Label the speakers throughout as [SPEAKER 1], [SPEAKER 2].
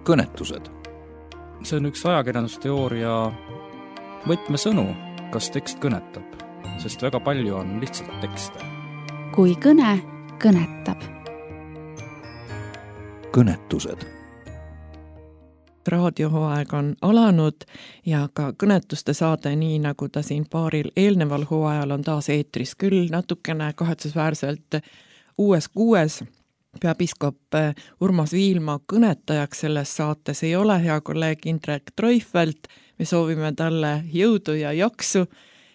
[SPEAKER 1] kõnetused.
[SPEAKER 2] See on üks ajakirjandusteooria võtmesõnu, kas tekst kõnetab, sest väga palju on lihtsalt tekste.
[SPEAKER 3] Kui kõne kõnetab.
[SPEAKER 1] Kõnetused.
[SPEAKER 4] Raadiohooaeg on alanud ja ka kõnetuste saade, nii nagu ta siin paaril eelneval hooajal on taas eetris, küll natukene kahetsusväärselt uues kuues. Peapiiskop Urmas Viilma kõnetajaks selles saates ei ole hea kolleeg Indrek Treufelt. Me soovime talle jõudu ja jaksu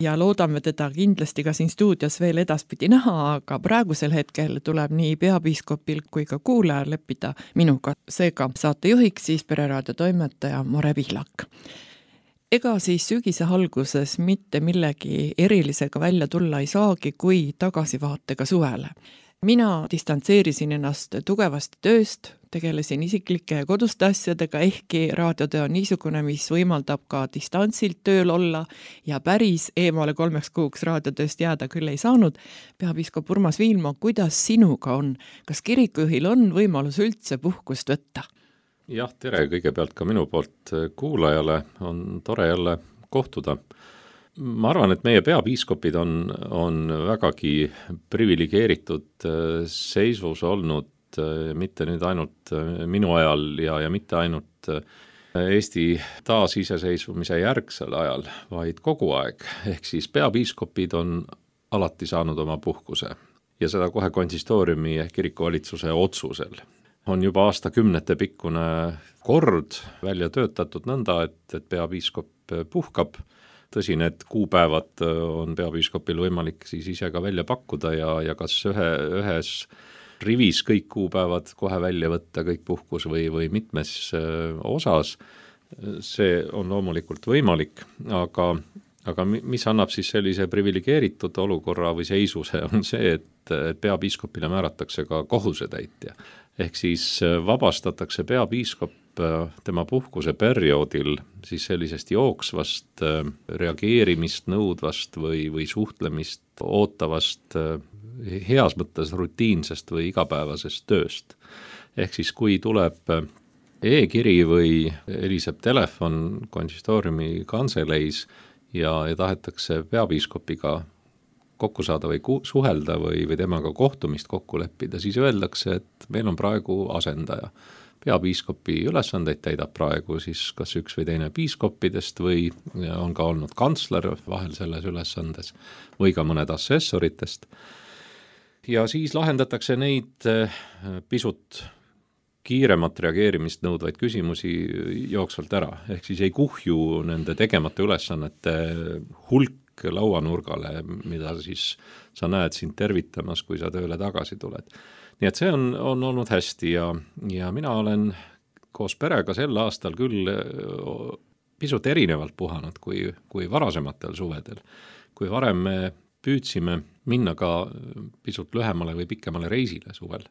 [SPEAKER 4] ja loodame teda kindlasti ka siin stuudios veel edaspidi näha, aga praegusel hetkel tuleb nii peapiiskopil kui ka kuulajal leppida minuga. Seega saatejuhiks siis Pereraadio toimetaja Mare Pihlak. Ega siis sügise alguses mitte millegi erilisega välja tulla ei saagi, kui tagasivaatega suvele. Mina distantseerisin ennast tugevasti tööst, tegelesin isiklike ja koduste asjadega, ehkki raadiotöö on niisugune, mis võimaldab ka distantsilt tööl olla ja päris eemale 3 kuuks raadiotööst jääda küll ei saanud. Peapiiskop Urmas Viilma, kuidas sinuga on? Kas kirikujuhil on võimalus üldse puhkust võtta?
[SPEAKER 5] Jah, tere kõigepealt ka minu poolt kuulajale, on tore jälle kohtuda. Ma arvan, et meie peapiiskopid on vägagi priviligeeritud seisus olnud, mitte nüüd ainult minu ajal ja mitte ainult Eesti taasiseseisvumise järgsel ajal, vaid kogu aeg. Ehk siis peapiiskopid on alati saanud oma puhkuse ja seda kohe konsistooriumi ehk kirikuvalitsuse otsusel. On juba aastakümnete pikkune kord välja töötatud nõnda, et peapiiskop puhkab. Tõsi, need kuupäevad on peapiiskopil võimalik siis ise ka välja pakkuda ja kas ühes rivis kõik kuupäevad kohe välja võtta, kõik puhkus või mitmes osas. See on loomulikult võimalik, aga mis annab siis sellise priviligeeritud olukorra või seisuse on see, et peapiiskopile määratakse ka kohusetäitja. Ehk siis vabastatakse peapiiskop tema puhkuse perioodil siis sellisest jooksvast reageerimist nõudvast või suhtlemist ootavast heas mõttes rutiinsest või igapäevasest tööst. Ehk siis kui tuleb e-kiri või heliseb telefon konsistooriumi kantseleis ja tahetakse peapiiskopiga kokku saada või suhelda või temaga kohtumist kokku leppida, siis öeldakse, et meil on praegu asendaja. Peapiiskopi ülesandeid täidab praegu siis kas üks või teine piiskoppidest või on ka olnud kantsler vahel selles ülesandes või ka mõned assessoritest. Ja siis lahendatakse neid pisut kiiremat reageerimist nõudvaid küsimusi jooksvalt ära. Ehk siis ei kuhju nende tegemata ülesannete hulk lauanurgale, mida siis sa näed sind tervitamas, kui sa tööle tagasi tuled. Nii et see on olnud hästi ja mina olen koos perega sel aastal küll pisut erinevalt puhanud kui varasematel suvedel. Kui varem me püüdsime minna ka pisut lühemale või pikemale reisile suvel.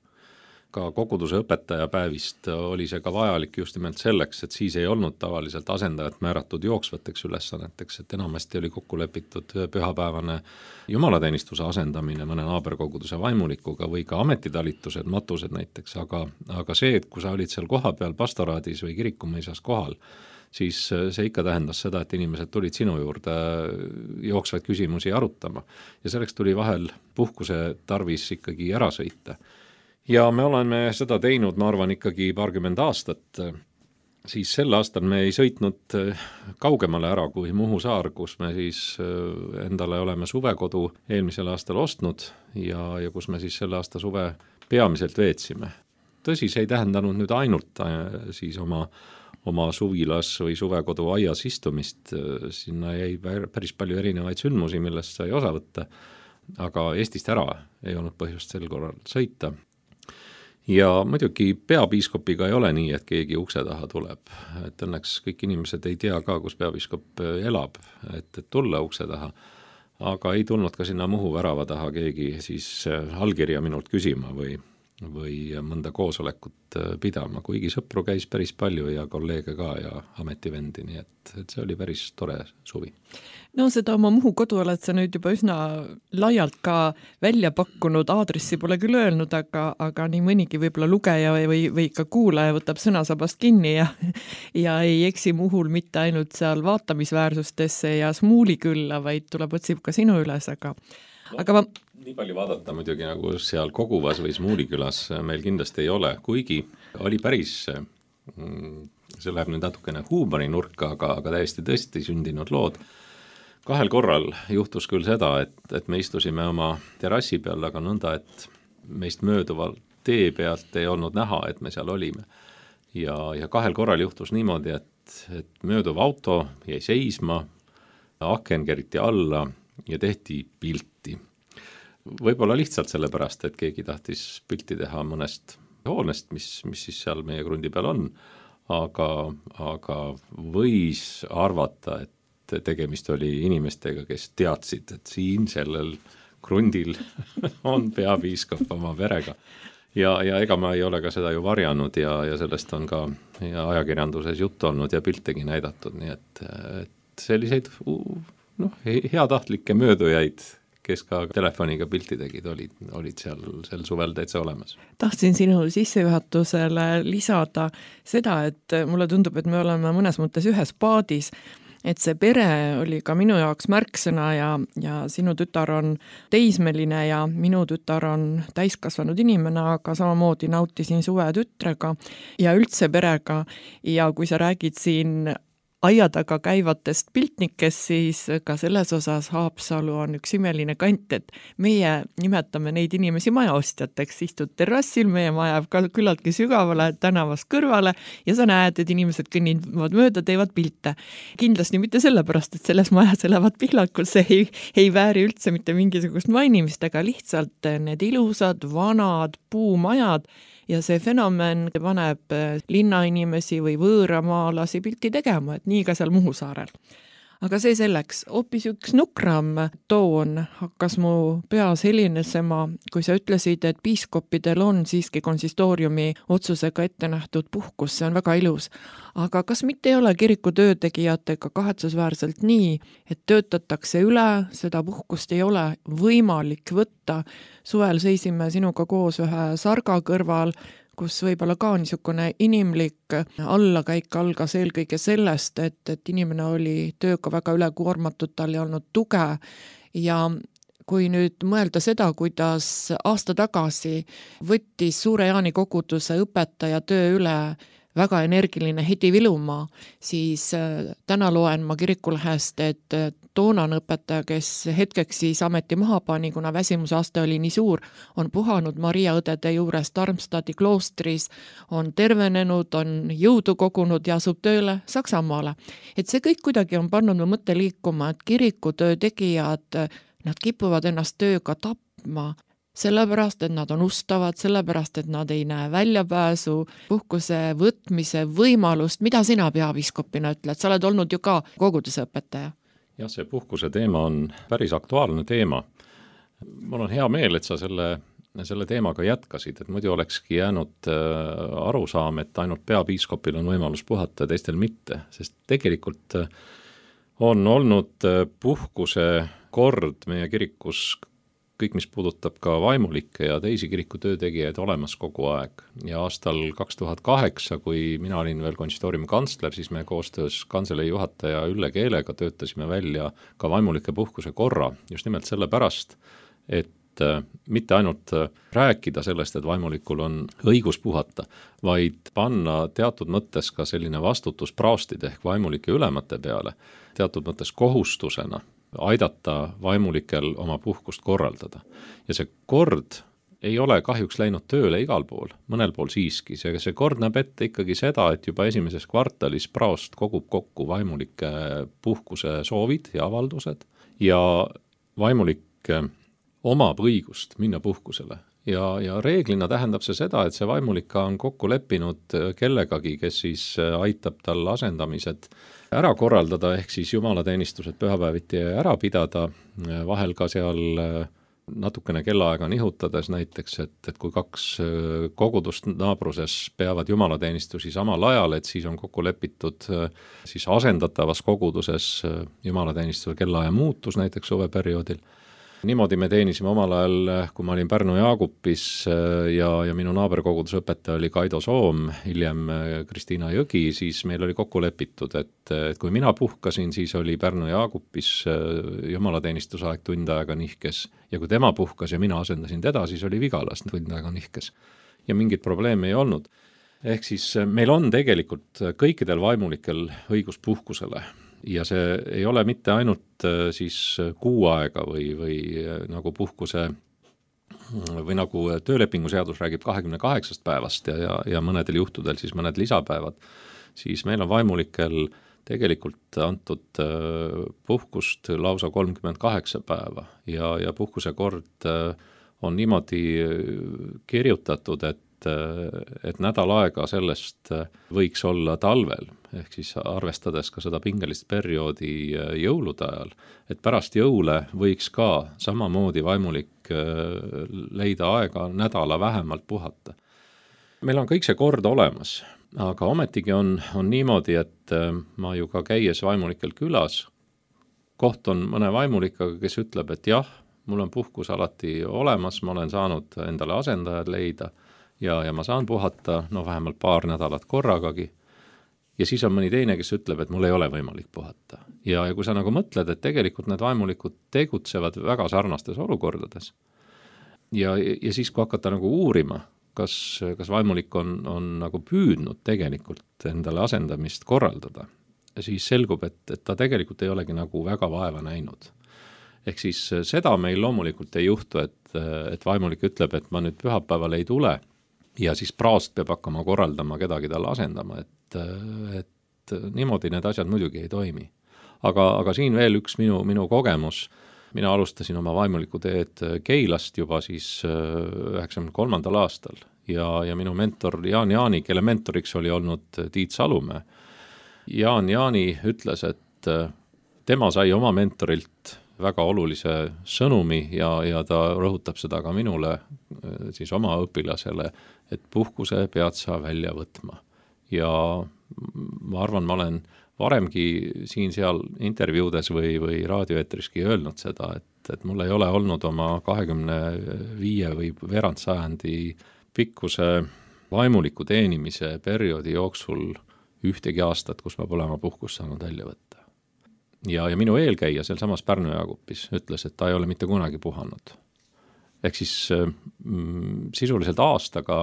[SPEAKER 5] Ka koguduse õpetaja päevist oli see ka vajalik just nimelt selleks, et siis ei olnud tavaliselt asendajat määratud jooksvateks ülesanneteks, et enamasti oli kokku lepitud pühapäevane jumalateenistuse asendamine mõne naaberkoguduse vaimulikuga või ka ametitalitused, matused näiteks, aga see, et kui sa olid seal kohapeal pastoraadis või kirikumõisas kohal, siis see ikka tähendas seda, et inimesed tulid sinu juurde jooksvaid küsimusi arutama ja selleks tuli vahel puhkuse tarvis ikkagi ära sõita. Ja me oleme seda teinud, ma arvan, ikkagi paarkümmend aastat. Siis sel aastal me ei sõitnud kaugemale ära kui Muhu saar, kus me siis endale oleme suvekodu eelmisel aastal ostnud ja kus me siis selle aasta suve peamiselt veetsime. Tõsi, see ei tähendanud nüüd ainult siis oma suvilas või suvekodu aias istumist. Sinna jäi päris palju erinevaid sündmusi, millest sai osa võtta, aga Eestist ära ei olnud põhjust sel korral sõita. Ja muidugi peapiiskopiga ei ole nii, et keegi ukse taha tuleb. Et õnneks kõik inimesed ei tea ka, kus peapiiskop elab, et tulla ukse taha. Aga ei tulnud ka sinna Muhu värava taha keegi siis allkirja minult küsima või või mõnda koosolekut pidama, kuigi sõpru käis päris palju ja kolleege ka ja ametivendi, nii et see oli päris tore suvi.
[SPEAKER 4] No seda oma Muhu kodu oled sa nüüd juba üsna laialt ka välja pakkunud, aadressi pole küll öelnud, aga nii mõnigi võib-olla lugeja või ka kuulaja võtab sõnasabast kinni ja ei eksi Muhul mitte ainult seal vaatamisväärsustesse ja Smuulikülla, vaid tuleb otsib ka sinu üles, aga
[SPEAKER 5] nii palju vaadata muidugi nagu seal Koguvas või Smuulikülas meil kindlasti ei ole, kuigi oli päris, see läheb nüüd natukene huumorinurka, aga täiesti tõesti sündinud lood. 2 korral juhtus küll seda, et me istusime oma terrassi peal, aga nõnda, et meist mööduval tee pealt ei olnud näha, et me seal olime. Ja 2 korral juhtus niimoodi, et mööduv auto jäi seisma, aken keriti alla ja tehti pilti. Võib-olla lihtsalt sellepärast, et keegi tahtis pilti teha mõnest hoonest, mis siis seal meie krundi peal on, aga võis arvata, et tegemist oli inimestega, kes teadsid, et siin sellel krundil on peapiiskop oma perega. Ja ega ma ei ole ka seda ju varjanud ja sellest on ka ajakirjanduses juttu olnud ja piltegi näidatud, nii et selliseid heatahtlikke möödujaid, kes ka telefoniga pilti tegid, olid seal suvel täitsa olemas.
[SPEAKER 4] Tahtsin sinu sissejuhatusele lisada seda, et mulle tundub, et me oleme mõnes mõttes ühes paadis, et see pere oli ka minu jaoks märksõna ja sinu tütar on teismeline ja minu tütar on täiskasvanud inimene, aga samamoodi nautisin suve tütrega ja üldse perega ja kui sa räägid siin aia taga käivatest piltnikest, siis ka selles osas Haapsalu on üks imeline kant, et meie nimetame neid inimesi majaostjateks, istud terrassil, meie maja jääb ka küllaltki sügavale tänavast kõrvale ja sa näed, et inimesed kõnnivad mööda, teevad pilte. Kindlasti mitte sellepärast, et selles majas elavad pihlakud, see ei vääri üldse mitte mingisugust mainimist, aga lihtsalt need ilusad, vanad puumajad ja see fenomen paneb linnainimesi või võõramaalasi pilti tegema, et nii ka seal Muhu saarel. Aga see selleks, hoopis üks nukram toon hakkas mu peas helinesema, kui sa ütlesid, et piiskopidel on siiski konsistooriumi otsusega ette nähtud puhkus, see on väga ilus. Aga kas mitte ei ole kiriku töötegijatega kahetsusväärselt nii, et töötatakse üle, seda puhkust ei ole võimalik võtta? Suvel seisime sinuga koos ühe sarga kõrval, kus võib-olla ka niisugune inimlik allakäik algas eelkõige sellest, et inimene oli tööga väga ülekuormatud, tal ei olnud tuge ja kui nüüd mõelda seda, kuidas aasta tagasi võttis Suure Jaani koguduse õpetaja töö üle väga energiline Hedi Vilumaa, siis täna loen ma kirikulehest, et toonane õpetaja, kes hetkeks siis ameti maha pani, kuna väsimusaste oli nii suur, on puhanud Maria õdede juures Darmstadti kloostris, on tervenenud, on jõudu kogunud ja asub tööle Saksamaale. Et see kõik kuidagi on pannud mu mõtte liikuma, et kirikutöö tegijad, nad kipuvad ennast tööga tapma, sellepärast, et nad on ustavad, sellepärast, et nad ei näe väljapääsu, puhkuse võtmise võimalust. Mida sina peapiiskopina ütled? Sa oled olnud ju ka koguduse õpetaja.
[SPEAKER 5] Jah, see puhkuse teema on päris aktuaalne teema. Mul on hea meel, et sa selle teemaga jätkasid, et muidu olekski jäänud arusaam, et ainult peapiiskopil on võimalus puhata ja teistel mitte, sest tegelikult on olnud puhkuse kord meie kirikus kõik, mis puudutab ka vaimulikke ja teisi kirikutöötegijaid olemas kogu aeg. Ja aastal 2008, kui mina olin veel konsistooriumi kantsler, siis me koostöös kantselei juhataja Ülle Keelega töötasime välja ka vaimulike puhkuse korra. Just nimelt sellepärast, et mitte ainult rääkida sellest, et vaimulikul on õigus puhata, vaid panna teatud mõttes ka selline vastutus praostide ehk vaimulike ülemate peale, teatud mõttes kohustusena aidata vaimulikel oma puhkust korraldada. Ja see kord ei ole kahjuks läinud tööle igal pool, mõnel pool siiski. See kord näeb ette ikkagi seda, et juba esimeses kvartalis praost kogub kokku vaimulike puhkuse soovid ja avaldused ja vaimulik omab õigust minna puhkusele. Ja reeglina tähendab see seda, et see vaimulika on kokku leppinud kellegagi, kes siis aitab tal asendamised ära korraldada, ehk siis jumalateenistused pühapäeviti ära pidada, vahel ka seal natukene kellaaega nihutades näiteks, et kui 2 kogudust naabruses peavad jumalateenistusi samal ajal, et siis on kokku lepitud siis asendatavas koguduses jumalateenistuse kellaaja muutus näiteks suveperioodil. Niimoodi me teenisime omal ajal, kui ma olin Pärnu Jaagupis ja minu naaberkoguduse õpetaja oli Kaido Soom, hiljem Kristiina Jõgi, siis meil oli kokku lepitud, et kui mina puhkasin, siis oli Pärnu Jaagupis jumalateenistuse aeg tund aega nihkes ja kui tema puhkas ja mina asendasin teda, siis oli Vigalas tund aega nihkes. Ja mingit probleemi ei olnud. Ehk siis meil on tegelikult kõikidel vaimulikel õigus puhkusele. Ja see ei ole mitte ainult siis kuu aega või nagu puhkuse või nagu töölepingu seadus räägib 28 päevast ja mõnedel juhtudel siis mõned lisapäevad, siis meil on vaimulikel tegelikult antud puhkust lausa 38 päeva ja puhkuse kord on niimoodi kirjutatud, et nädal aega sellest võiks olla talvel, ehk siis arvestades ka seda pingelist perioodi jõulude ajal, et pärast jõule võiks ka samamoodi vaimulik leida aega nädala vähemalt puhata. Meil on kõik see kord olemas, aga ometigi on niimoodi, et ma ju ka käies vaimulikel külas, kohtun mõne vaimulikaga, kes ütleb, et jah, mul on puhkus alati olemas, ma olen saanud endale asendajad leida, ja ma saan puhata, vähemalt 2 nädalat korragagi. Ja siis on mõni teine, kes ütleb, et mul ei ole võimalik puhata. Ja kui sa nagu mõtled, et tegelikult need vaimulikud tegutsevad väga sarnastes olukordades. Ja siis, kui hakata nagu uurima, kas vaimulik on nagu püüdnud tegelikult endale asendamist korraldada, siis selgub, et ta tegelikult ei olegi nagu väga vaeva näinud. Ehk siis seda meil loomulikult ei juhtu, et vaimulik ütleb, et ma nüüd pühapäeval ei tule, ja siis praost peab hakkama korraldama kedagi talle asendama, et niimoodi need asjad muidugi ei toimi. Aga siin veel üks minu kogemus. Mina alustasin oma vaimuliku teed Keilast juba siis 93. aastal ja minu mentor Jaan Jaani, kelle mentoriks oli olnud Tiit Salumäe. Jaan Jaani ütles, et tema sai oma mentorilt väga olulise sõnumi ja ta rõhutab seda ka minule, siis oma õpilasele, et puhkuse pead sa välja võtma. Ja ma arvan, ma olen varemgi siin-seal intervjuudes või raadioeetriski öelnud seda, et mul ei ole olnud oma 25 või veerandsajandi pikkuse vaimuliku teenimise perioodi jooksul ühtegi aastat, kus ma pole oma puhkust saanud välja võtta. Ja minu eelkäija seal samas Pärnu Jaagupis ütles, et ta ei ole mitte kunagi puhanud. Ehk siis sisuliselt aastaga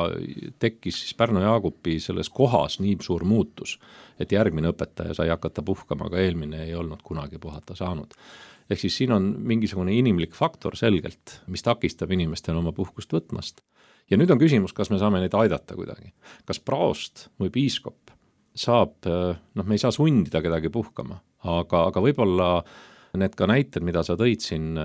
[SPEAKER 5] tekkis siis Pärnu Jaagupi selles kohas nii suur muutus, et järgmine õpetaja sai hakata puhkama, aga eelmine ei olnud kunagi puhata saanud. Ehk siis siin on mingisugune inimlik faktor selgelt, mis takistab inimestel oma puhkust võtmast. Ja nüüd on küsimus, kas me saame neid aidata kuidagi. Kas praost või piiskop saab, me ei saa sundida kedagi puhkama, aga võib-olla need ka näited, mida sa tõid siin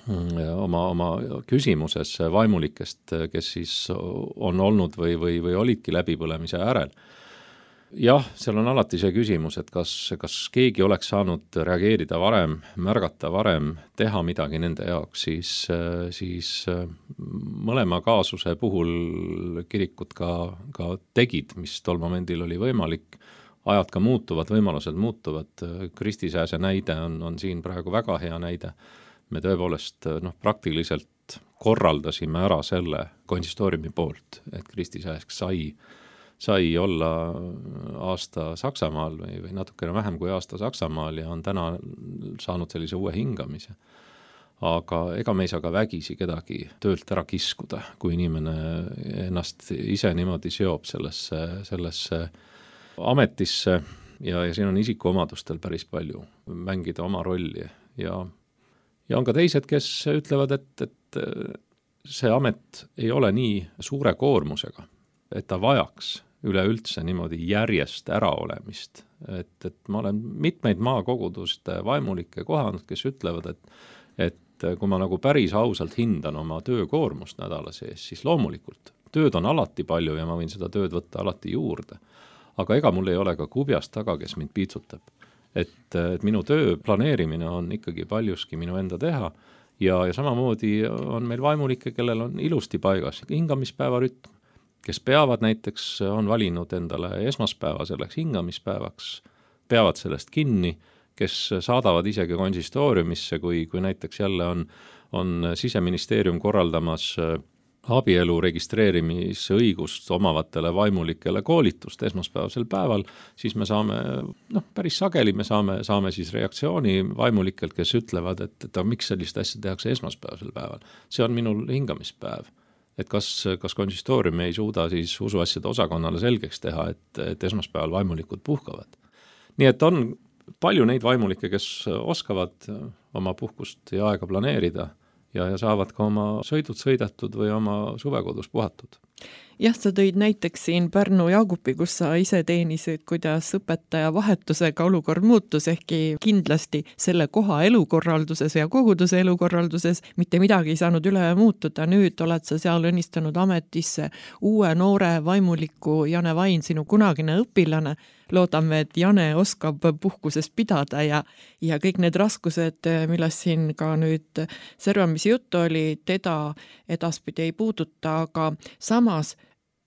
[SPEAKER 5] oma küsimuses vaimulikest, kes siis on olnud või olidki läbipõlemise äärel. Jah, seal on alati see küsimus, et kas keegi oleks saanud reageerida varem, märgata varem, teha midagi nende jaoks, siis mõlema kaasuse puhul kirikud ka tegid, mis tol momendil oli võimalik. Ajad ka muutuvad, võimalused muutuvad. Kristi Sääse näide on siin praegu väga hea näide. Me tõepoolest praktiliselt korraldasime ära selle konsistooriumi poolt, et Kristi Sääsk sai olla aasta Saksamaal või natukene vähem kui aasta Saksamaal ja on täna saanud sellise uue hingamise. Aga ega me ei saa ka vägisi kedagi töölt ära kiskuda, kui inimene ennast ise niimoodi seob sellesse ametisse ja siin on isikuomadustel päris palju mängida oma rolli ja on ka teised, kes ütlevad, et see amet ei ole nii suure koormusega, et ta vajaks üleüldse niimoodi järjest äraolemist. Et ma olen mitmeid maakoguduste vaimulikke kohanud, kes ütlevad, et kui ma nagu päris ausalt hindan oma töökoormust nädala sees, siis loomulikult tööd on alati palju ja ma võin seda tööd võtta alati juurde. Aga ega mul ei ole ka kubjast taga, kes mind piitsutab. Et minu töö planeerimine on ikkagi paljuski minu enda teha ja samamoodi on meil vaimulikke, kellel on ilusti paigas hingamispäeva rütm, kes peavad näiteks, on valinud endale esmaspäeva selleks hingamispäevaks, peavad sellest kinni, kes saadavad isegi konsistooriumisse, kui näiteks jälle on Siseministeerium korraldamas abielu registreerimisõigust omavatele vaimulikele koolitust esmaspäevasel päeval, siis me saame, päris sageli me saame siis reaktsiooni vaimulikelt, kes ütlevad, et miks sellist asja tehakse esmaspäevasel päeval. See on minul hingamispäev. Et kas konsistoorium ei suuda siis usuasjade osakonnale selgeks teha, et esmaspäeval vaimulikud puhkavad. Nii et on palju neid vaimulikke, kes oskavad oma puhkust ja aega planeerida ja saavad ka oma sõidud sõidetud või oma suvekodus puhatud.
[SPEAKER 4] Jah, sa tõid näiteks siin Pärnu Jaagupi, kus sa ise teenisid, kuidas õpetaja vahetusega olukord muutus, ehkki kindlasti selle koha elukorralduses ja koguduse elukorralduses mitte midagi ei saanud üle muutuda. Nüüd oled sa seal õnnistanud ametisse uue noore vaimuliku Jane Vain, sinu kunagine õpilane. Loodame, et Jane oskab puhkusest pidada ja kõik need raskused, millest siin ka nüüd servamise juttu oli, teda edaspidi ei puuduta, aga samas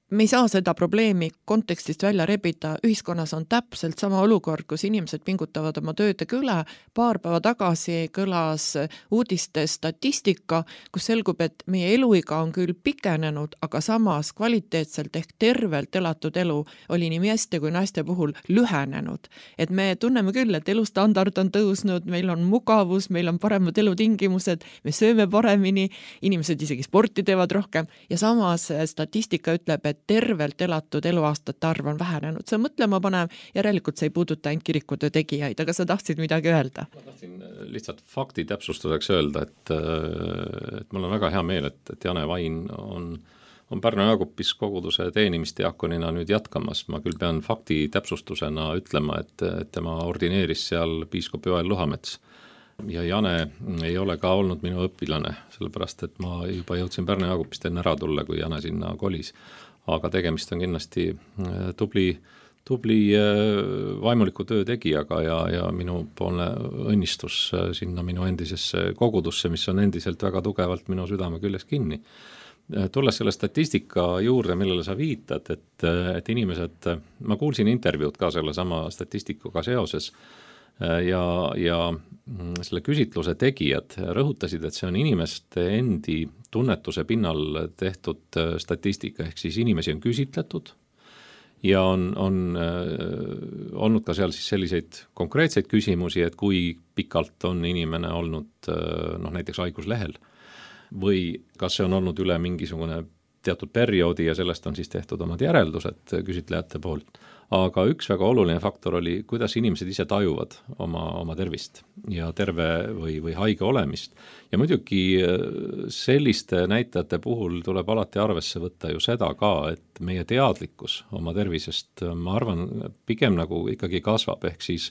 [SPEAKER 4] me ei saa seda probleemi kontekstist välja rebida. Ühiskonnas on täpselt sama olukord, kus inimesed pingutavad oma töödega üle. Paar päeva tagasi kõlas uudiste statistika, kus selgub, et meie eluiga on küll pikenenud, aga samas kvaliteetselt ehk tervelt elatud elu oli nii meeste kui naiste puhul lühenenud. Et me tunneme küll, et elustandard on tõusnud, meil on mugavus, meil on paremad elutingimused, me sööme paremini, inimesed isegi sporti teevad rohkem ja samas statistika ütleb, et tervelt elatud eluaastate arv on vähenenud. See mõtlema panev, järelikult see ei puuduta ainult kirikutöö tegijaid, aga sa tahtsid midagi öelda?
[SPEAKER 5] Ma tahtsin lihtsalt fakti täpsustuseks öelda, et mul on väga hea meel, et Jane Vain on Pärnu Jaagupis koguduse teenimisteakonina nüüd jätkamas. Ma küll pean fakti täpsustusena ütlema, et tema ordineeris seal piiskop Joel Luhamets. Ja Jane ei ole ka olnud minu õpilane, sellepärast, et ma juba jõudsin Pärnu Jaagupist enne ära tulla, kui Jane sinna kolis. Aga tegemist on kindlasti tubli vaimuliku töö tegijaga ja minu poolne õnnistus sinna minu endisesse kogudusse, mis on endiselt väga tugevalt minu südame küljes kinni. Tulles selle statistika juurde, millele sa viitad, et inimesed, ma kuulsin intervjuud ka selle sama statistikuga seoses ja selle küsitluse tegijad rõhutasid, et see on inimeste endi tunnetuse pinnal tehtud statistika, ehk siis inimesi on küsitletud ja on olnud ka seal siis selliseid konkreetseid küsimusi, et kui pikalt on inimene olnud näiteks haiguslehel või kas see on olnud üle mingisugune teatud perioodi ja sellest on siis tehtud omad järeldused küsitlejate poolt. Aga üks väga oluline faktor oli, kuidas inimesed ise tajuvad oma tervist ja terve või haige olemist. Ja muidugi selliste näitajate puhul tuleb alati arvesse võtta ju seda ka, et meie teadlikkus oma tervisest, ma arvan, pigem nagu ikkagi kasvab, ehk siis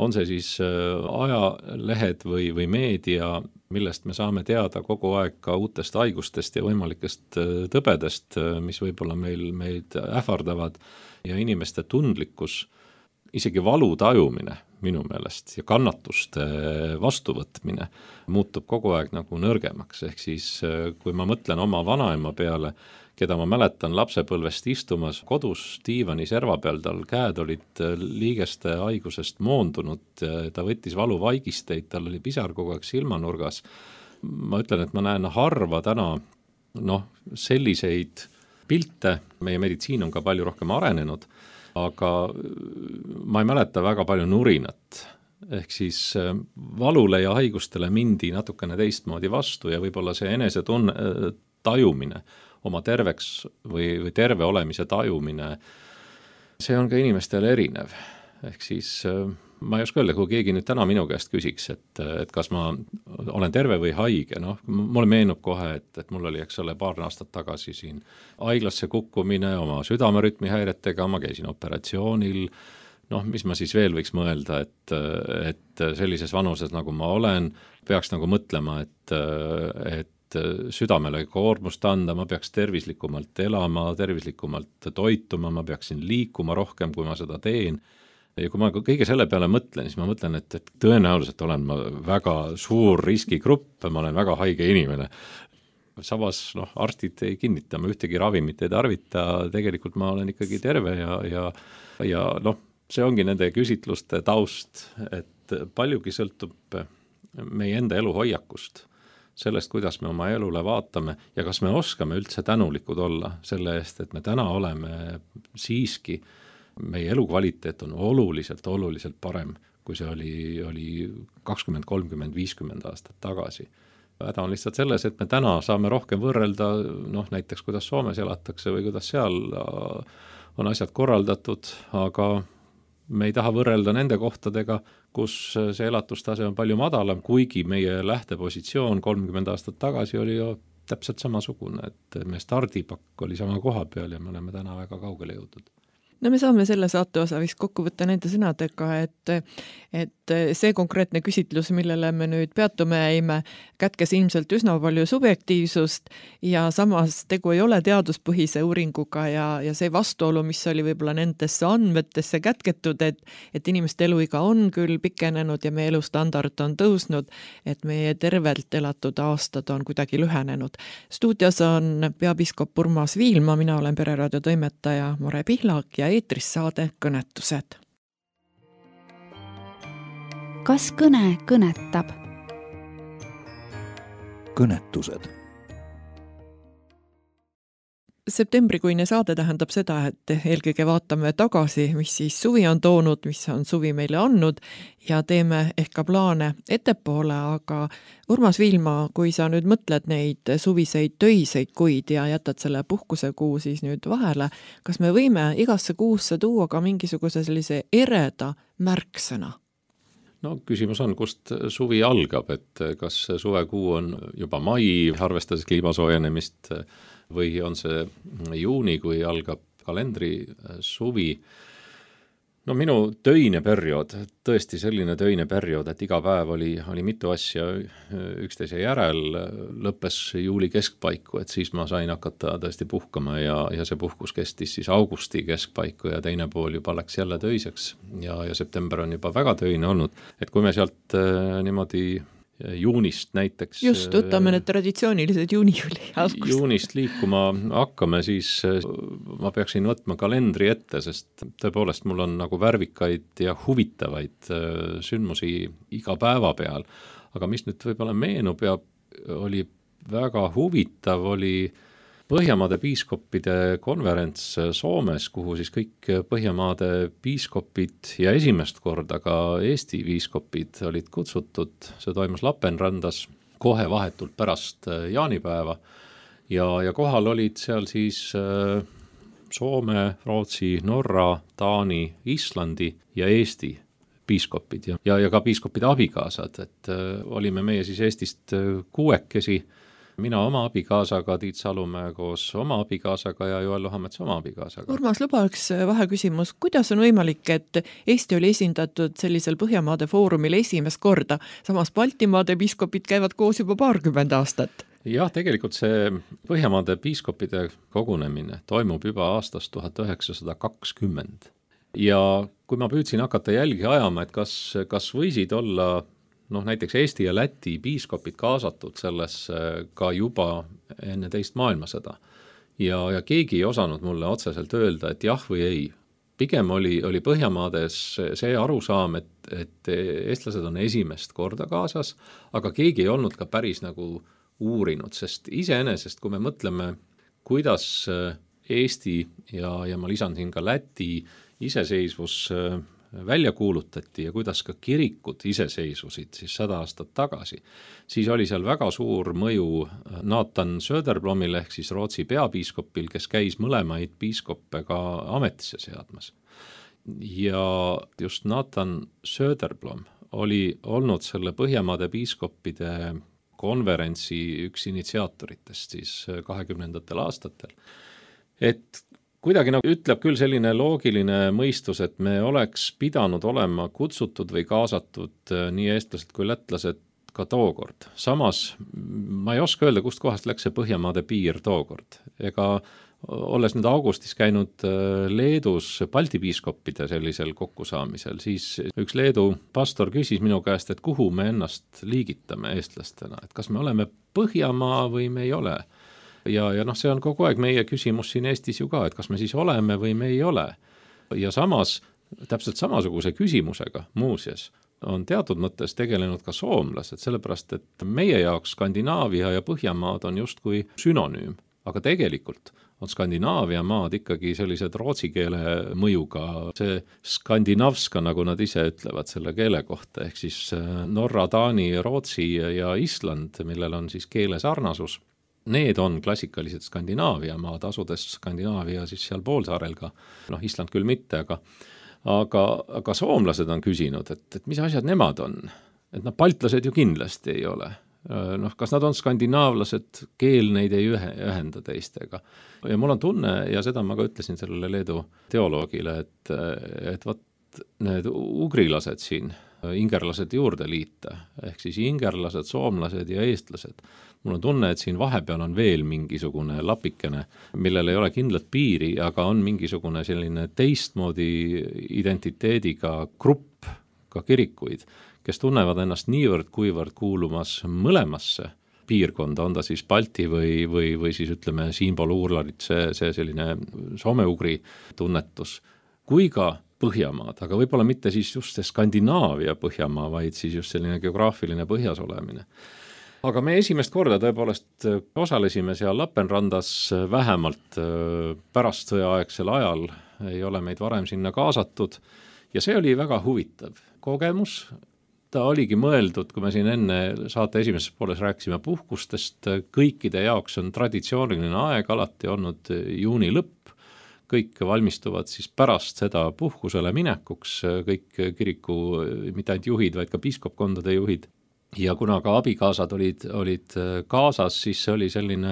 [SPEAKER 5] on see siis ajalehed või meedia, millest me saame teada kogu aeg ka uutest haigustest ja võimalikest tõbedest, mis võib-olla meid ähvardavad ja inimeste tundlikkus, isegi valu tajumine minu meelest ja kannatuste vastuvõtmine muutub kogu aeg nagu nõrgemaks, ehk siis kui ma mõtlen oma vanaema peale, keda ma mäletan lapsepõlvest istumas kodus diivani serva peal, tal käed olid liigeste haigusest moondunud, ta võttis valuvaigisteid, tal oli pisar kogu aeg silmanurgas. Ma ütlen, et ma näen harva täna selliseid pilte, meie meditsiin on ka palju rohkem arenenud, aga ma ei mäleta väga palju nurinat, ehk siis valule ja haigustele mindi natukene teistmoodi vastu ja võib-olla see enesetunne tajumine, oma terveks või terve olemise tajumine, see on ka inimestel erinev. Ehk siis ma ei oska öelda, kui keegi nüüd täna minu käest küsiks, et kas ma olen terve või haige, mulle meenub kohe, et mul oli, eks ole, paar aastat tagasi siin haiglasse kukkumine oma südamerütmi häiretega, ma käisin operatsioonil, mis ma siis veel võiks mõelda, et sellises vanuses, nagu ma olen, peaks nagu mõtlema, et südamele koormust anda, ma peaks tervislikumalt elama, tervislikumalt toituma, ma peaksin liikuma rohkem, kui ma seda teen. ja kui ma kõige selle peale mõtlen, siis ma mõtlen, et tõenäoliselt olen ma väga suur riskigrupp, ma olen väga haige inimene. Samas arstid ei kinnita, ma ühtegi ravimit ei tarvita, tegelikult ma olen ikkagi terve ja see ongi nende küsitluste taust, et paljugi sõltub meie enda eluhoiakust, sellest, kuidas me oma elule vaatame ja kas me oskame üldse tänulikud olla selle eest, et me täna oleme siiski, meie elukvaliteet on oluliselt parem, kui see oli 20, 30, 50 aastat tagasi. Häda on lihtsalt selles, et me täna saame rohkem võrrelda, näiteks kuidas Soomes elatakse või kuidas seal on asjad korraldatud, aga me ei taha võrrelda nende kohtadega, kus see elatustase on palju madalam, kuigi meie lähtepositsioon 30 aastat tagasi oli ju täpselt samasugune, et meie stardipakk oli sama koha peal ja me oleme täna väga kaugele jõudnud.
[SPEAKER 4] No me saame selle saate osa vist kokku võtta nende sõnadega, et see konkreetne küsitlus, millele me nüüd peatume jäime, kätkes ilmselt üsna palju subjektiivsust ja samas tegu ei ole teaduspõhise uuringuga ja see vastuolu, mis oli võib-olla nendesse andmetesse kätketud, et inimeste eluiga on küll pikenenud ja meie elustandard on tõusnud, et meie tervelt elatud aastad on kuidagi lühenenud. Stuudios on peapiiskop Urmas Viilma, mina olen Pereraadio toimetaja Mare Pihlak ja eetris saade Kõnetused.
[SPEAKER 3] Kas kõne kõnetab?
[SPEAKER 1] Kõnetused.
[SPEAKER 4] Septembrikuine saade tähendab seda, et eelkõige vaatame tagasi, mis siis suvi on toonud, mis on suvi meile andnud ja teeme ehk ka plaane ettepoole, aga Urmas Viilma, kui sa nüüd mõtled neid suviseid töiseid kuid ja jätad selle puhkusekuu siis nüüd vahele, kas me võime igasse kuusse tuua ka mingisuguse sellise ereda märksõna?
[SPEAKER 5] No küsimus on, kust suvi algab, et kas suvekuu on juba mai, arvestades kliimasoojenemist, või on see juuni, kui algab kalendri suvi. No minu töine periood, tõesti selline töine periood, et iga päev oli mitu asja üksteise järel, lõppes juuli keskpaiku, et siis ma sain hakata tõesti puhkama ja see puhkus kestis siis augusti keskpaiku ja teine pool juba läks jälle töiseks ja september on juba väga töine olnud. Et kui me sealt niimoodi juunist näiteks.
[SPEAKER 4] Just, võtame need traditsioonilised juuni-juuli algust. Juunist
[SPEAKER 5] liikuma hakkame, siis ma peaksin võtma kalendri ette, sest tõepoolest mul on nagu värvikaid ja huvitavaid sündmusi iga päeva peal. Aga mis nüüd võib-olla meenub ja oli väga huvitav, oli Põhjamaade piiskoppide konverents Soomes, kuhu siis kõik Põhjamaade piiskopid ja esimest korda ka Eesti piiskopid olid kutsutud. See toimus Lappeenrandas kohe vahetult pärast jaanipäeva ja kohal olid seal siis Soome, Rootsi, Norra, Taani, Islandi ja Eesti piiskopid ja ka piiskopide abikaasad, et olime meie siis Eestist 6, mina oma abikaasaga, Tiit Salumäe koos oma abikaasaga ja Joel Lohamets oma abikaasaga.
[SPEAKER 4] Urmas, luba üks vaheküsimus. Kuidas on võimalik, et Eesti oli esindatud sellisel Põhjamaade foorumil esimest korda, samas Baltimaade piiskopid käivad koos juba 20 aastat?
[SPEAKER 5] Jah, tegelikult see Põhjamaade piiskopide kogunemine toimub juba aastast 1920. Ja kui ma püüdsin hakata jälgi ajama, et kas võisid olla näiteks Eesti ja Läti piiskopid kaasatud sellesse ka juba enne teist maailmasõda. Ja keegi ei osanud mulle otseselt öelda, et jah või ei. Pigem oli Põhjamaades see arusaam, et eestlased on esimest korda kaasas, aga keegi ei olnud ka päris nagu uurinud, sest iseenesest, kui me mõtleme, kuidas Eesti ja ma lisan siin ka Läti iseseisvus välja kuulutati ja kuidas ka kirikud iseseisvusid siis 100 aastat tagasi, siis oli seal väga suur mõju Nathan Söderblomil ehk siis Rootsi peapiiskopil, kes käis mõlemaid piiskoppe ka ametisse seadmas. Ja just Nathan Söderblom oli olnud selle Põhjamaade piiskoppide konverentsi üks initsiaatoritest siis 20. aastatel. Et kuidagi ütleb küll selline loogiline mõistus, et me oleks pidanud olema kutsutud või kaasatud nii eestlased kui lätlased ka tookord. Samas ma ei oska öelda, kust kohast läks see Põhjamaade piir tookord. Ega olles nüüd augustis käinud Leedus Balti piiskoppide sellisel kokkusaamisel, siis üks Leedu pastor küsis minu käest, et kuhu me ennast liigitame eestlastena, et kas me oleme Põhjamaa või me ei ole. Ja see on kogu aeg meie küsimus siin Eestis ju ka, et kas me siis oleme või me ei ole. Ja samas, täpselt samasuguse küsimusega muuseas on teatud mõttes tegelenud ka soomlased, sellepärast et meie jaoks Skandinaavia ja Põhjamaad on justkui sünonüüm, aga tegelikult on Skandinaavia maad ikkagi sellised rootsi keele mõjuga, see skandinavska, nagu nad ise ütlevad selle keele kohta, ehk siis Norra, Taani, Rootsi ja Island, millel on siis keele sarnasus. Need on klassikalised Skandinaavia maad, asudes Skandinaavia siis seal poolsaarel ka, Island küll mitte, aga soomlased on küsinud, et mis asjad nemad on, et baltlased ju kindlasti ei ole. Kas nad on skandinaavlased, keel neid ei ühenda teistega. Ja mul on tunne, ja seda ma ka ütlesin sellele Leedu teoloogile, et need ugrilased siin, ingerlased juurde liita, ehk siis ingerlased, soomlased ja eestlased. Mul on tunne, et siin vahepeal on veel mingisugune lapikene, millel ei ole kindlat piiri, aga on mingisugune selline teistmoodi identiteediga grupp, ka kirikuid, kes tunnevad ennast niivõrd kuivõrd kuulumas mõlemasse piirkonda, on ta siis Balti või siis ütleme siinpool-uurlarit, see selline soome-ugri tunnetus, kui ka Põhjamaad, aga võib-olla mitte siis just see Skandinaavia Põhjamaa, vaid siis just selline geograafiline põhjas olemine. Aga me esimest korda tõepoolest osalesime seal Lapenrandas vähemalt pärast sõjaaegsel ajal, ei ole meid varem sinna kaasatud ja see oli väga huvitav kogemus. Ta oligi mõeldud, kui me siin enne saate esimeses pooles rääkisime puhkustest, kõikide jaoks on traditsiooniline aeg alati olnud juuni lõpp, kõik valmistuvad siis pärast seda puhkusele minekuks, kõik kiriku, mitte ainult juhid, vaid ka piiskopkondade juhid. Ja kuna ka abikaasad olid kaasas, siis see oli selline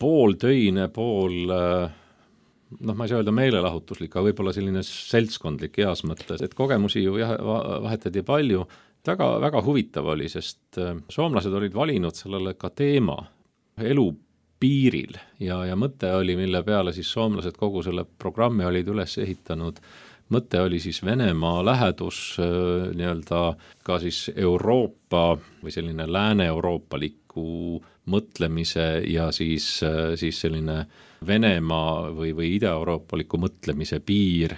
[SPEAKER 5] pooltöine, ma ei saa öelda meelelahutuslik, aga võib-olla selline seltskondlik heas mõttes, et kogemusi ju vahetati palju. Väga, väga huvitav oli, sest soomlased olid valinud sellele ka teema elu piiril ja mõte oli, mille peale siis soomlased kogu selle programmi olid üles ehitanud. Mõte oli siis Venemaa lähedus nii-öelda ka siis Euroopa või selline lääne-euroopaliku mõtlemise ja siis selline Venemaa või ida-euroopaliku mõtlemise piir,